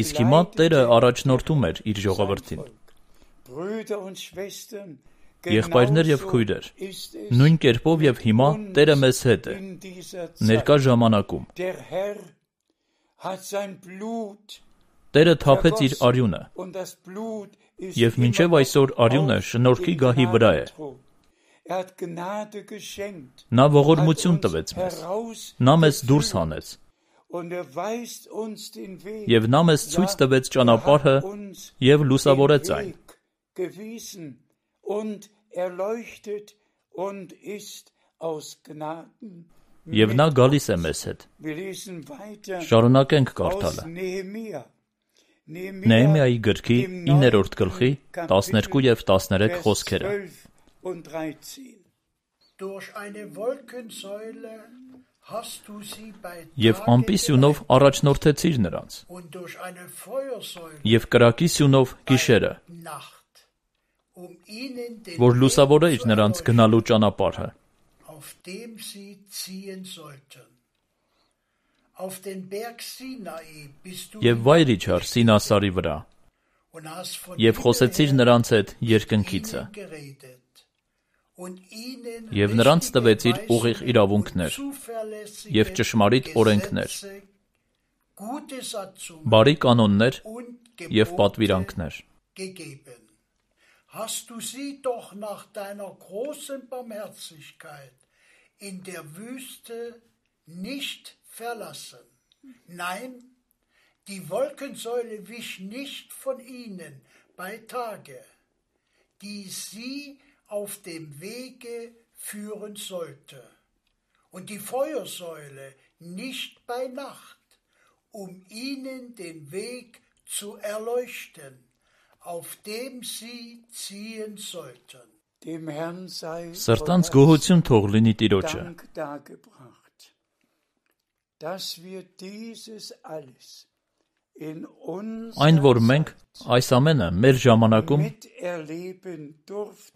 Իսկ հիմա Տերը առաջնորդում էր իր ժողովրդին։ Եղբայրներ եւ քույրեր, նույն կերպով եւ հիմա Տերը մեզ հետ է, ներկա ժամանակում։ Տերը թափեց իր արյունը, եւ մինչեւ այսօր արյունը շնորհքի գահի վրա է։ Նա ողորմություն տվեց մեզ, նա մեզ դուրս հանեց, եւ նա մեզ ցույց տվեց ճանապարհը եւ լուսավորեց այն։ Եվ նա գալիս է մեզ հետ։ Շարունակենք կարդալը։ Նեհեմիայի գրքի 9-րդ գլխի 12 եւ 13 խոսքերը։ Եվ ամպի սյունով առաջնորդեցիր նրանց, եւ կրակի սյունով գիշերը, որ լուսավորեիր նրանց գնալու ճանապարհը։ Եվ վայր իջար Սինասարի վրա, եւ խոսեցիր նրանց հետ երկնքիցը, եւ նրանց տվեցիր ուղիղ իրավունքներ եւ ճշմարիտ օրենքներ, բարի կանոններ եւ պատվիրանքներ։ Hast du sie doch nach deiner großen Barmherzigkeit in der Wüste nicht verlassen. Nein, die Wolkensäule wich nicht von ihnen bei Tage, die sie auf dem Wege führen sollte, und die Feuersäule nicht bei Nacht, ihnen den Weg zu erleuchten, auf dem sie ziehen sollten. Սրտանց գոհություն թող լինի Տիրոջը, այն որ մենք այս ամենը մեր ժամանակում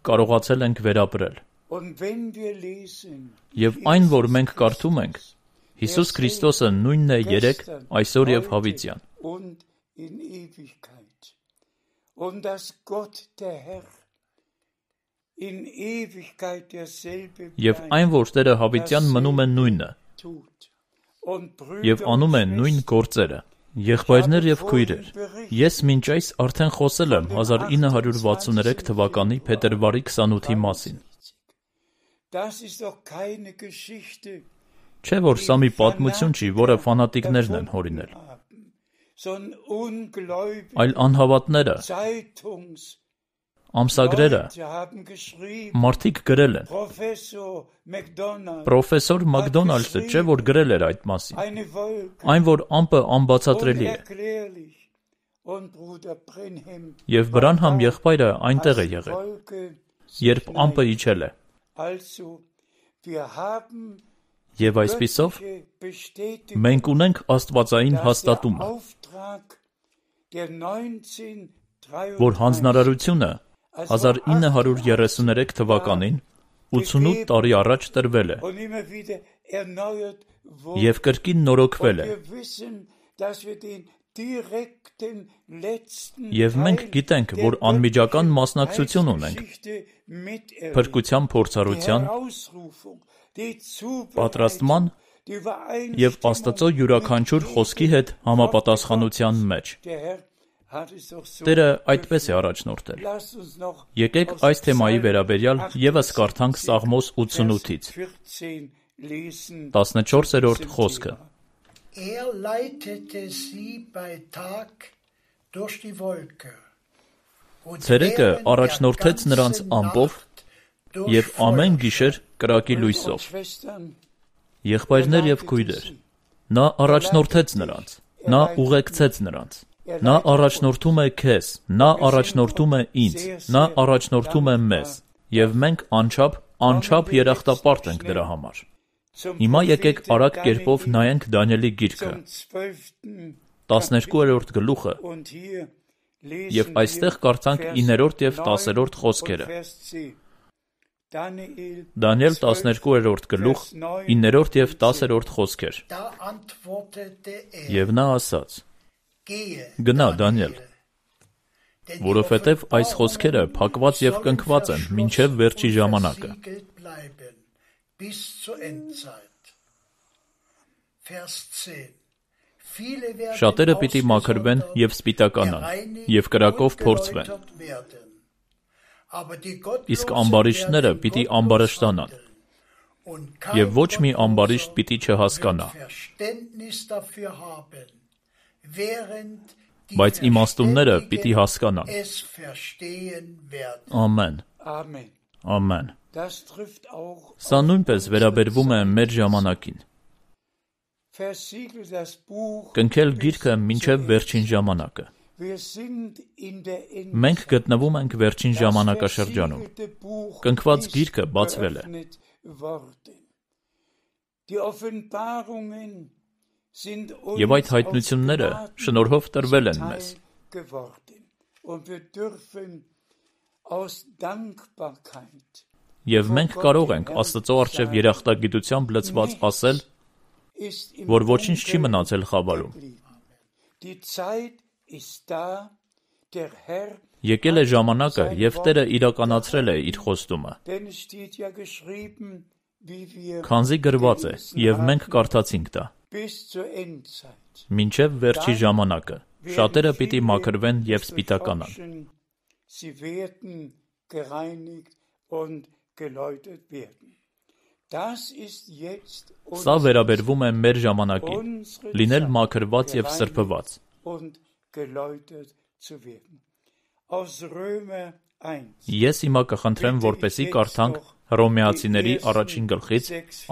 կարողացել ենք վերապրել, եւ այն որ մենք կարդում ենք, Հիսուս Քրիստոսը նույնն է երեկ, այսօր եւ հավիտյան։ Und dass Gott der Herr in Ewigkeit derselbe Եվ այն որ Տերը հավիտյան մնում է նույնը, եւ անում է նույն գործերը։ Եղբայրներ եւ քույրեր, ես մինչ այս արդեն խոսել եմ 1963 թվականի փետրվարի 28-ի մասին։ Չէ՞ որ սա մի պատմություն չի, որը ֆանատիկներն են հորինել, այլ անհավատները, ամսագրերը, մարդիկ գրել են։ Պրոֆեսոր Մակդոնալդը չէ՞ որ գրել էր այդ մասին, այն որ ամպը անբացատրելի է։ Եվ Բրանհամ եղբայրը այնտեղ է եղել, երբ ամպը իջել է։ Եվ այսպիսով մենք ունենք աստվածային հաստատումը, որ հանձնարարությունը 1933 թվականին 88 տարի առաջ տրվել է եւ կրկին նորոգվել է։ Եվ մենք գիտենք, որ անմիջական մասնակցություն ունենք փրկության փորձառության, պատրաստման եւ Աստծո յուրաքանչյուր խոսքի հետ համապատասխանության մեջ։ Տերը այդպես է առաջնորդել։ Եկեք այս թեմայի վերաբերյալ եւս կարդանք Սաղմոս 88-ից 14-րդ խոսքը։ Ցերեկը առաջնորդեց նրանց ամպով եւ ամեն գիշեր կրակի լույսով։ Եղբայրներ եւ քույրեր, նա առաջնորդեց նրանց, նա ուղեկցեց նրանց, նա առաջնորդում է քեզ, նա առաջնորդում է ինձ, նա առաջնորդում է մեզ, եւ մենք անչափ երախտապարտ ենք դրա համար։ Հիմա եկեք արագ կերպով նայենք Դանիելի գիրքը, 12-րդ գլուխը Եվ այստեղ կարդանք 9-րդ և 10-րդ խոսքերը։ Դանիել 12-րդ գլուխ 9-րդ և 10-րդ խոսքեր։ Եվ նա ասաց. Գնա, Դանիել, որովհետև այս խոսքերը փակված և կնքված են մինչև վերջի ժամանակը։ Շատերը պիտի մաքրվեն և սպիտականան, և կրակով փորձվեն, իսկ ամբարիշտները պիտի ամբարշտանան, և ոչ մի ամբարիշտ պիտի չհասկանա, բայց իմաստունները պիտի հասկանան։ Ամեն։ Ամեն։ Սա նույնպես վերաբերվում է մեր ժամանակին։ Կնքել գիրքը մինչև վերջին ժամանակը։ Մենք գտնվում ենք վերջին ժամանակաշրջանում։ Կնքված գիրքը բացվել է։ Եվ այդ հայտնությունները շնորհով տրվել են մեզ։ Եվ մենք կարող ենք Աստծո առջև երախտագիտությամբ լցված ասել, որ ոչինչ չի մնացել խավարում։ Եկել է ժամանակը, և Տերը իրականացրել է իր խոստումը։ Քանզի գրված է, և մենք կարդացինք դա։ Մինչև վերջի ժամանակը շատերը պիտի մաքրվեն և սպիտականան։ Սա վերաբերվում է մեր ժամանակին, լինել մաքրված և սրբված։ Ես հիմա կխնդրեմ, որպեսզի կարդանք Հռոմեացիների առաջին գլխից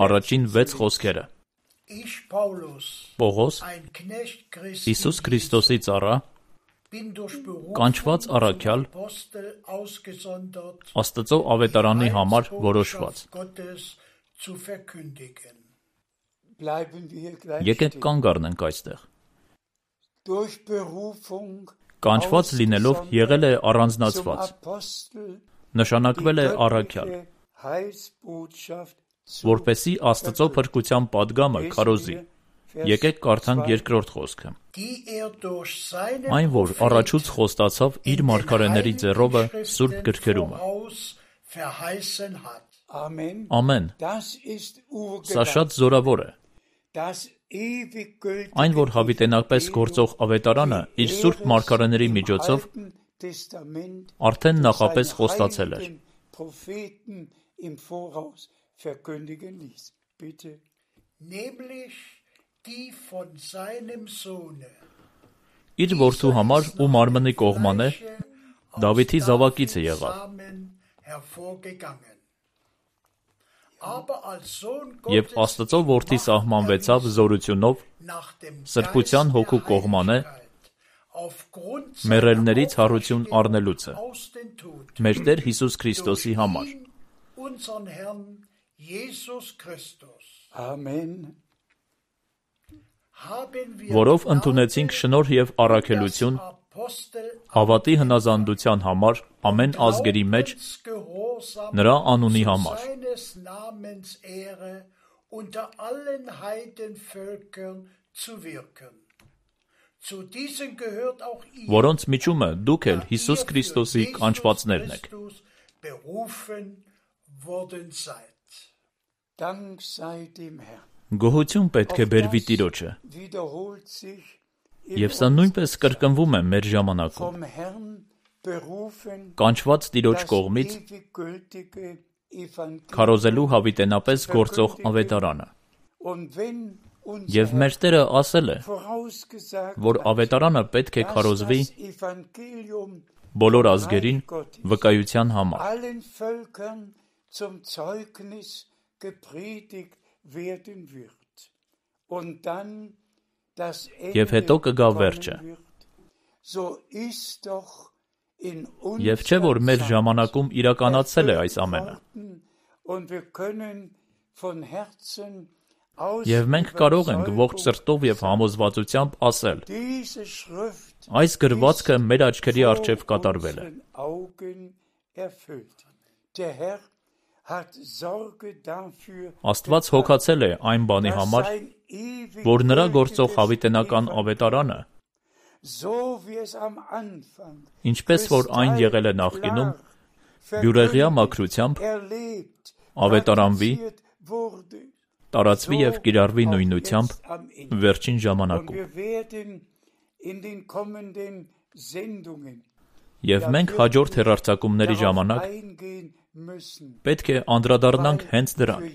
առաջին 6 խոսքերը։ Պողոս, Հիսուս Քրիստոսի ծառա, կանչված առաքյալ, Աստծո ավետարանի համար որոշված։ Եկեք կանգ առնենք այստեղ։ Կանչված լինելով եղել է առանձնացված, նշանակվել է առաքյալ, որպեսզի Աստծո փրկության պատգամը քարոզի։ Եկեք կարդանք 2-րդ խոսքը։ Այն, որ առաջուց խոստացավ իր մարգարեների ձեռովը սուրբ գրքերումը։ Ամեն։ Սա շատ զորավոր է։ Այն, որ հավիտենապես գործող ավետարանը իր սուրբ մարգարեների միջոցով արդեն նախապես խոստացել էր։ Իր որդու համար ու մարմնի կողմանե Դավիթի զավակիցը եղավ։ Եվ Աստծո որդի սահմանվեցավ զորությունով, սրբության հոգու կողմանե, մեռելներից հարություն առնելուցը, մեր Տեր Հիսուս Քրիստոսի համար։ Որով ընդունեցինք շնորհ և առաքելություն հավատի հնազանդության համար ամեն ազգերի մեջ նրա անունի համար, որոնց միջումը դուք էլ Հիսուս Քրիստոսի կանչվածներն եք։ Գոհություն պետք է բերվի Տիրոջը, և սա նույնպես կրկնվում է մեր ժամանակում։ Կանչված Տիրոջ կողմից քարոզելու հավիտենապես գործող ավետարանը։ Եվ մեր Տերը ասել է, որ ավետարանը պետք է քարոզվի բոլոր ազգերին վկայության համար։ Եվ հետո կգա վերջը։ Եվ չէ՞ որ մեր ժամանակում իրականացել է այս ամենը։ Եվ մենք կարող ենք ողջ սրտով և համոզվածությամբ ասել. Այս գրվածքը մեր աչքերի առջև կատարվել է։ Աստված հոգացել է այն բանի համար, որ նրա գործող հավիտենական ավետարանը, ինչպես որ այն եղել է նախկինում, բյուրեղյա մաքրությամբ ավետարանվի, տարածվի և կիրառվի նույնությամբ վերջին ժամանակում։ Եվ մենք հաջորդ հեռարձակումների ժամանակ պետք է անդրադառնանք հենց դրան,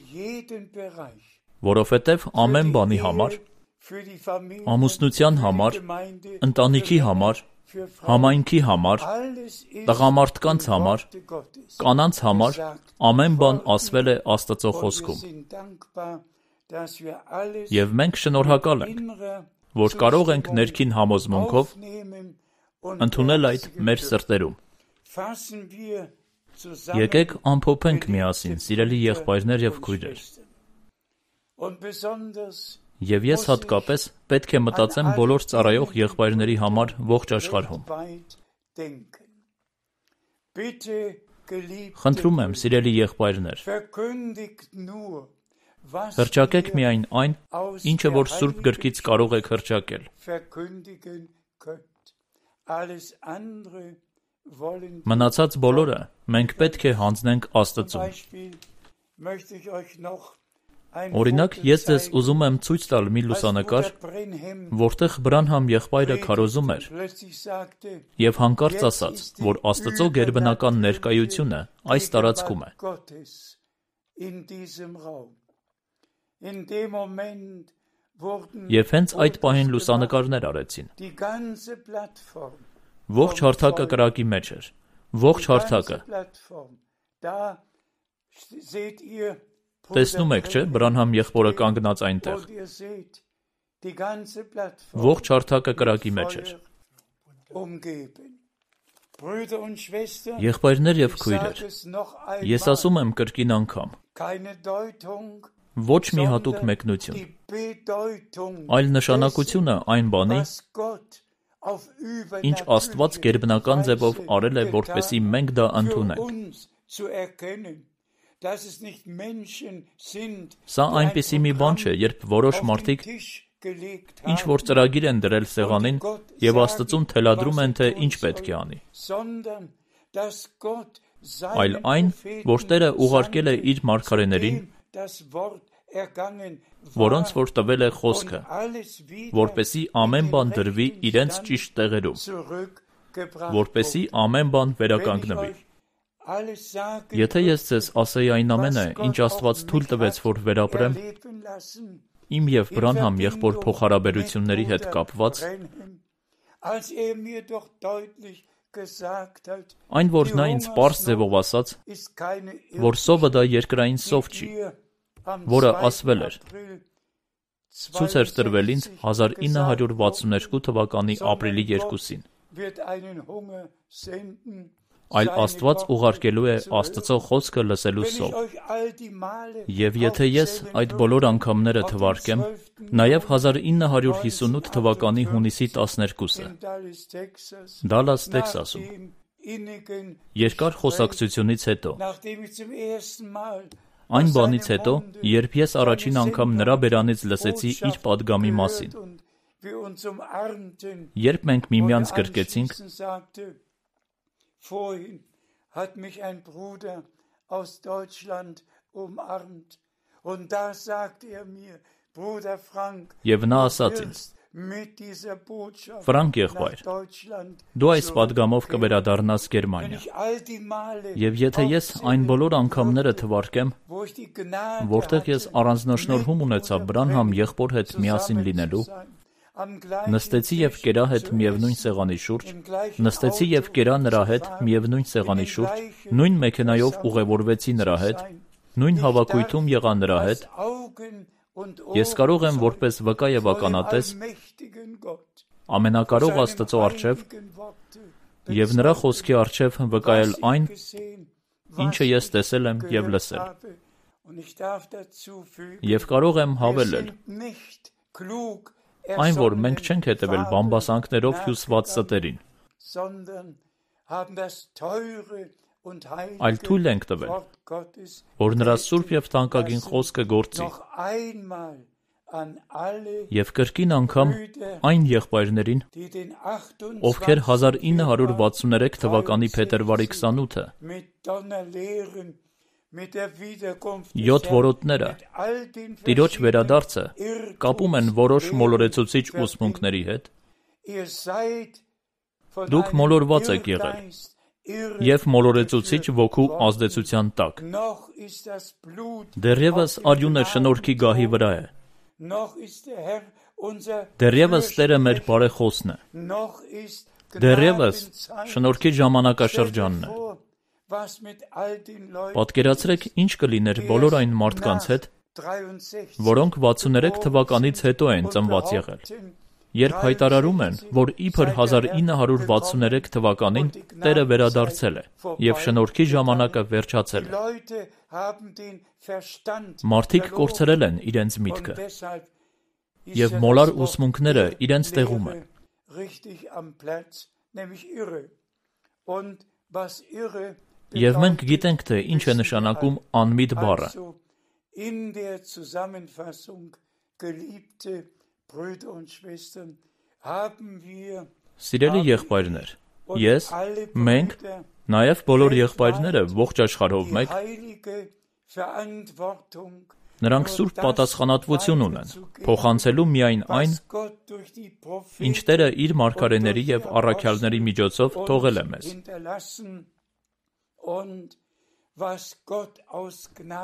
որովհետև ամեն բանի համար, ամուսնության համար, ընտանիքի համար, համայնքի համար, տղամարդկանց համար, կանանց համար, ամեն բան ասվել է Աստծո խոսքում։ Եվ մենք շնորհակալ ենք, որ կարող ենք ներքին համոզմունքով ընդունել այդ մեր սրտերում։ Եկեք ամփոփենք միասին, սիրելի եղբայրներ և քույրեր։ Եվ ես հատկապես պետք է մտածեմ բոլոր ծառայող եղբայրների համար ողջ աշխարհում։ Խնդրում եմ, սիրելի եղբայրներ, հռչակեք միայն այն, ինչը որ Սուրբ Գրքից կարող եք հռչակել։ Մնացած բոլորը մենք պետք է հանձնենք Աստծուն։ Օրինակ, ես ձեզ ուզում եմ ցույց տալ մի լուսանկար, որտեղ Բրանհամ եղբայրը քարոզում էր և հանկարծ ասաց, որ Աստծո գերբնական ներկայությունը այս տարածքում է։ Եվ հենց այդ պահին լուսանկարներ արեցին։ Ողջ հարթակը կրակի մեջ էր։ Ողջ հարթակը։ Տեսնում եք, չէ՞, Բրանհամ եղբորը կանգնած այնտեղ։ Ողջ հարթակը կրակի մեջ էր։ Եղբայրներ և քույրեր, ես ասում եմ կրկին անգամ, ոչ մի հատուկ մեկնություն, այլ նշանակությունը այն բանի, ինչ Աստված գերբնական ձևով արել է, որպեսզի մենք դա ընդունենք։ Սա այնպիսի մի բան չէ, երբ որոշ մարդիկ ինչ-որ ծրագիր են դրել սեղանին և Աստծուն թելադրում են, թե ինչ պետք է անի, այլ այն, որ Տերը ուղարկել է իր մարգարեներին, որոնց որ տվել է խոսքը, որպեսզի ամեն բան դրվի իրենց ճիշտ տեղերում, որպեսզի ամեն բան վերականգնվի։ Եթե ես ձեզ ասեի այն ամենը, ինչ Աստված թույլ տվեց, որ վերապրեմ, իմ և Բրանհամ եղբոր փոխհարաբերությունների հետ կապված, այն, որ նա ինձ պարզ ձևով ասաց, որ սովը դա երկրային սով չի, որը ասվել էր, ցույց էր տրվել ինձ 1962 թվականի ապրիլի 2-ին, այլ Աստված ուղարկելու է Աստծո խոսքը լսելու սով։ Եվ եթե ես այդ բոլոր անգամները թվարկեմ, նաև 1958 թվականի հունիսի 12-ը, Դալլաս, Տեքսասում, երկար խոսակցությունից հետո, այն բանից հետո, երբ ես առաջին անգամ նրա բերանից լսեցի իր պատգամի մասին, երբ մենք միմյանց գրկեցինք, Vorhin hat mich ein Bruder aus Deutschland umarmt und da sagt mir, Bruder Frank, և նա ասաց ինձ, Ֆրանկ եղբայր, դու այս պատգամով կվերադառնաս Գերմանիա, և եթե ես այն բոլոր անգամները թվարկեմ, որտեղ ես առանձնաշնորհում ունեցա Բրանհամ եղբոր հետ միասին լինելու, նստեցի և կերա հետ միևնույն սեղանի շուրջ, նստեցի և կերա նրա հետ միևնույն սեղանի շուրջ, նույն մեքենայով ուղևորվեցի նրա հետ, նույն հավաքույթում եղա նրա հետ, ես կարող եմ որպես վկա և ականատես ամենակարող Աստծո առջև և նրա խոսքի առջև վկայել այն, ինչը ես տեսել եմ և լսել, և կարող եմ հավելել, այն, որ մենք չենք հետևել բամբասանքներով հյուսված ստերին, այլ թույլ ենք տվել, որ նրա սուրբ և թանկագին խոսքը գործի, և կրկին անգամ այն եղբայրներին, ովքեր 1963 թվականի փետրվարի 28-ը 7 որոտները Տիրոջ վերադարձը կապում են որոշ մոլորեցուցիչ ուսմունքների հետ, դուք մոլորված եք եղել և մոլորեցուցիչ ոգու ազդեցության տակ, դեռևս արյունը շնորհքի գահի վրա է, դեռևս Տերը մեր բարեխոսն է, դեռևս շնորհքի ժամանակաշրջանն է։ Պատկերացրեք, ինչ կլիներ բոլոր այն մարդկանց հետ, որոնք 63 թվականից հետո են ծնված եղել, երբ հայտարարում են, որ իբր 1963 թվականին Տերը վերադարձել է և շնորհքի ժամանակը վերջացել է։ Մարդիկ կորցրել են իրենց միտքը, և մոլար ուսմունքները իրենց տեղում են։ Եվ մենք գիտենք, թե ինչ է նշանակում անմիտ բառը։ Սիրելի եղբայրներ, ես, մենք, նաև բոլոր եղբայրները ողջ աշխարհով մեկ, նրանք սուրբ պատասխանատվություն ունեն, փոխանցելու միայն այն, ինչ Տերը իր մարգարեների և առաքյալների միջոցով թողել է մեզ։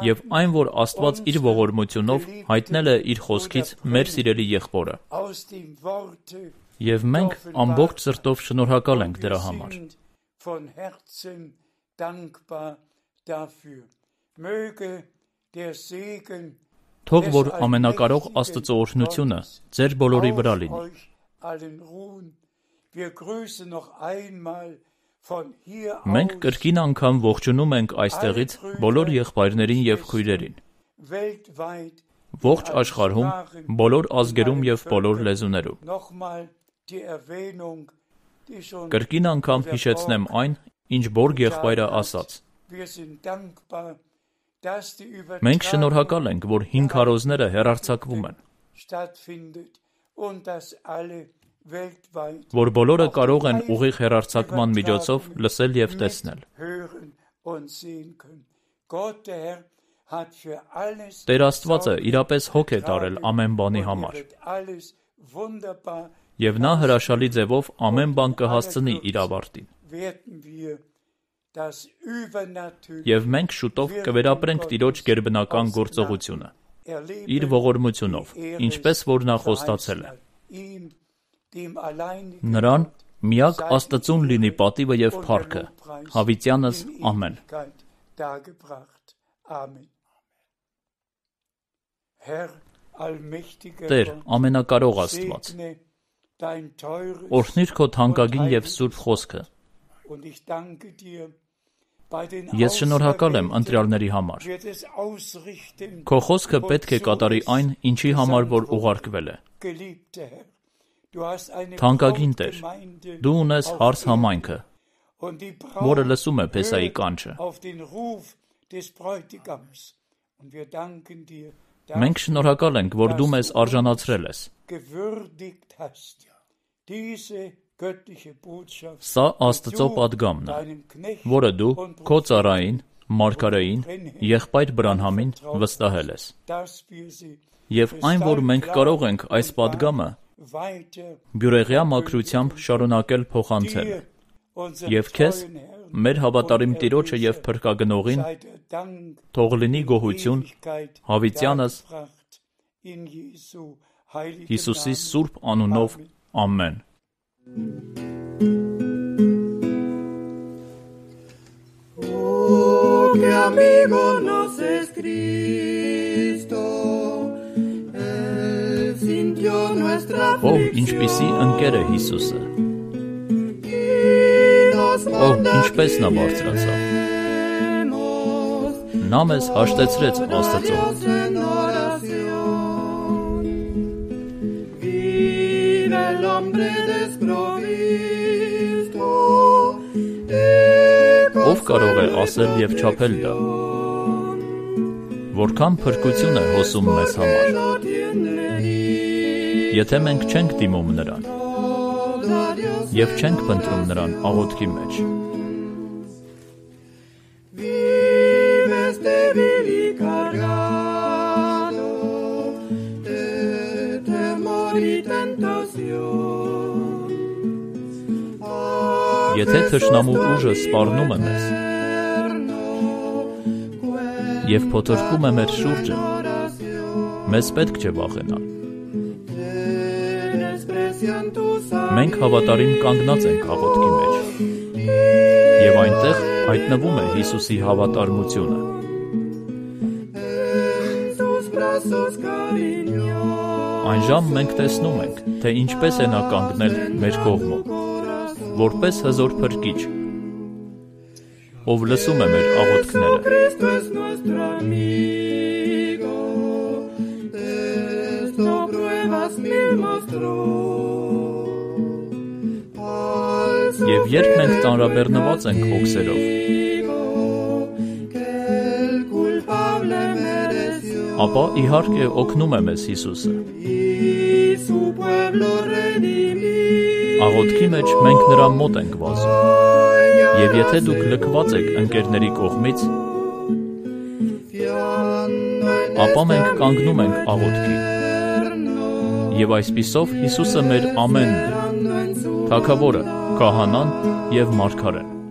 Եվ այն, որ Աստված իր ողորմությունով հայտնել է իր խոսքից մեր սիրելի եղբորը։ Եվ մենք ամբողջ սրտով շնորհակալ ենք դրա համար։ Թող որ ամենակարող Աստծո օրհնությունը ձեր բոլորի վրա լինի։ Մենք կրկին անգամ ողջունում ենք այստեղից բոլոր եղբայրներին և քույրերին, ողջ աշխարհում, բոլոր ազգերում և բոլոր լեզուներում։ Կրկին անգամ հիշեցնեմ այն, ինչ Բորգ եղբայրը ասաց. մենք շնորհակալ ենք, որ հին քարոզները հեռարձակվում են, որ բոլորը կարող են ուղիղ հեռարձակման միջոցով լսել և տեսնել։ Տեր Աստվածը իրապես հոգ է տարել ամեն բանի համար, և նա հրաշալի ձևով ամեն բան կհասցնի իր ավարտին։ Եվ մենք շուտով կվերապրենք Տիրոջ գերբնական գործողությունը, իր ողորմությունով, ինչպես որ նա խոստացել է։ Նրան միակ Աստծուն լինի պատիվը և փառքը, հավիտյանս ամեն։ Տեր, ամենակարող Աստված, օրհնիր քո թանկագին և սուրբ խոսքը։ Ես շնորհակալ եմ ընտրյալների համար։ Քո խոսքը պետք է կատարի այն, ինչի համար որ ուղարկվել է։ Թանկագին Տեր, դու ունես հարս համայնքը, որը լսում է Փեսայի կանչը։ Մենք շնորհակալ ենք, որ դու մեզ արժանացրել ես։ Սա Աստծո պատգամն է, որը դու քո ծառային, մարգարեին, եղբայր Բրանհամին վստահել ես։ Եվ այն, որ մենք կարող ենք այս պատգամը բյուրեղյա մաքրությամբ շարունակել փոխանցել, և քեզ, մեր հավատարիմ Տիրոջը և Փրկագնողին, թող լինի գոհություն հավիտյանս Հիսուսի սուրբ անունով, ամեն։ Que amigo nos es Cristo, Él sintió nuestra aflicción. Ինչպիսի ընկեր է Հիսուսը։ Ինչպես նա բարձրացավ։ Նա մեզ հաշտեցրեց Աստծո։ el hambre desprovisto. Ով կարող է ասել եւ չափել դա, որքան փրկություն է հոսում մեզ համար, եթե մենք չենք դիմում նրան եւ չենք փնտրում նրան աղոթքի մեջ։ Եթե թշնամու ուժը սպառնում է մեզ և փոթորկում է մեր շուրջը, մեզ պետք չէ վախենալ։ Մենք հավատարիմ կանգնած ենք աղոթքի մեջ, և այնտեղ հայտնվում է Հիսուսի հավատարմությունը։ Այն ժամ մենք տեսնում ենք, թե ինչպես է նա կանգնել մեր կողմում, որպես հզոր փրկիչ, ով լսում է մեր աղոթքները։ Եվ երբ մենք ծանրաբեռնված ենք հոգսերով, ապա իհարկե օգնում է մեզ Հիսուսը։ Աղոթքի մեջ մենք նրա մոտ ենք վազում, և եթե դուք լքված եք ընկերների կողմից, ապա մենք կանգնում ենք աղոթքի, և այսպիսով Հիսուսը մեր ամենն է, Թագավորը, Քահանան և Մարգարեն։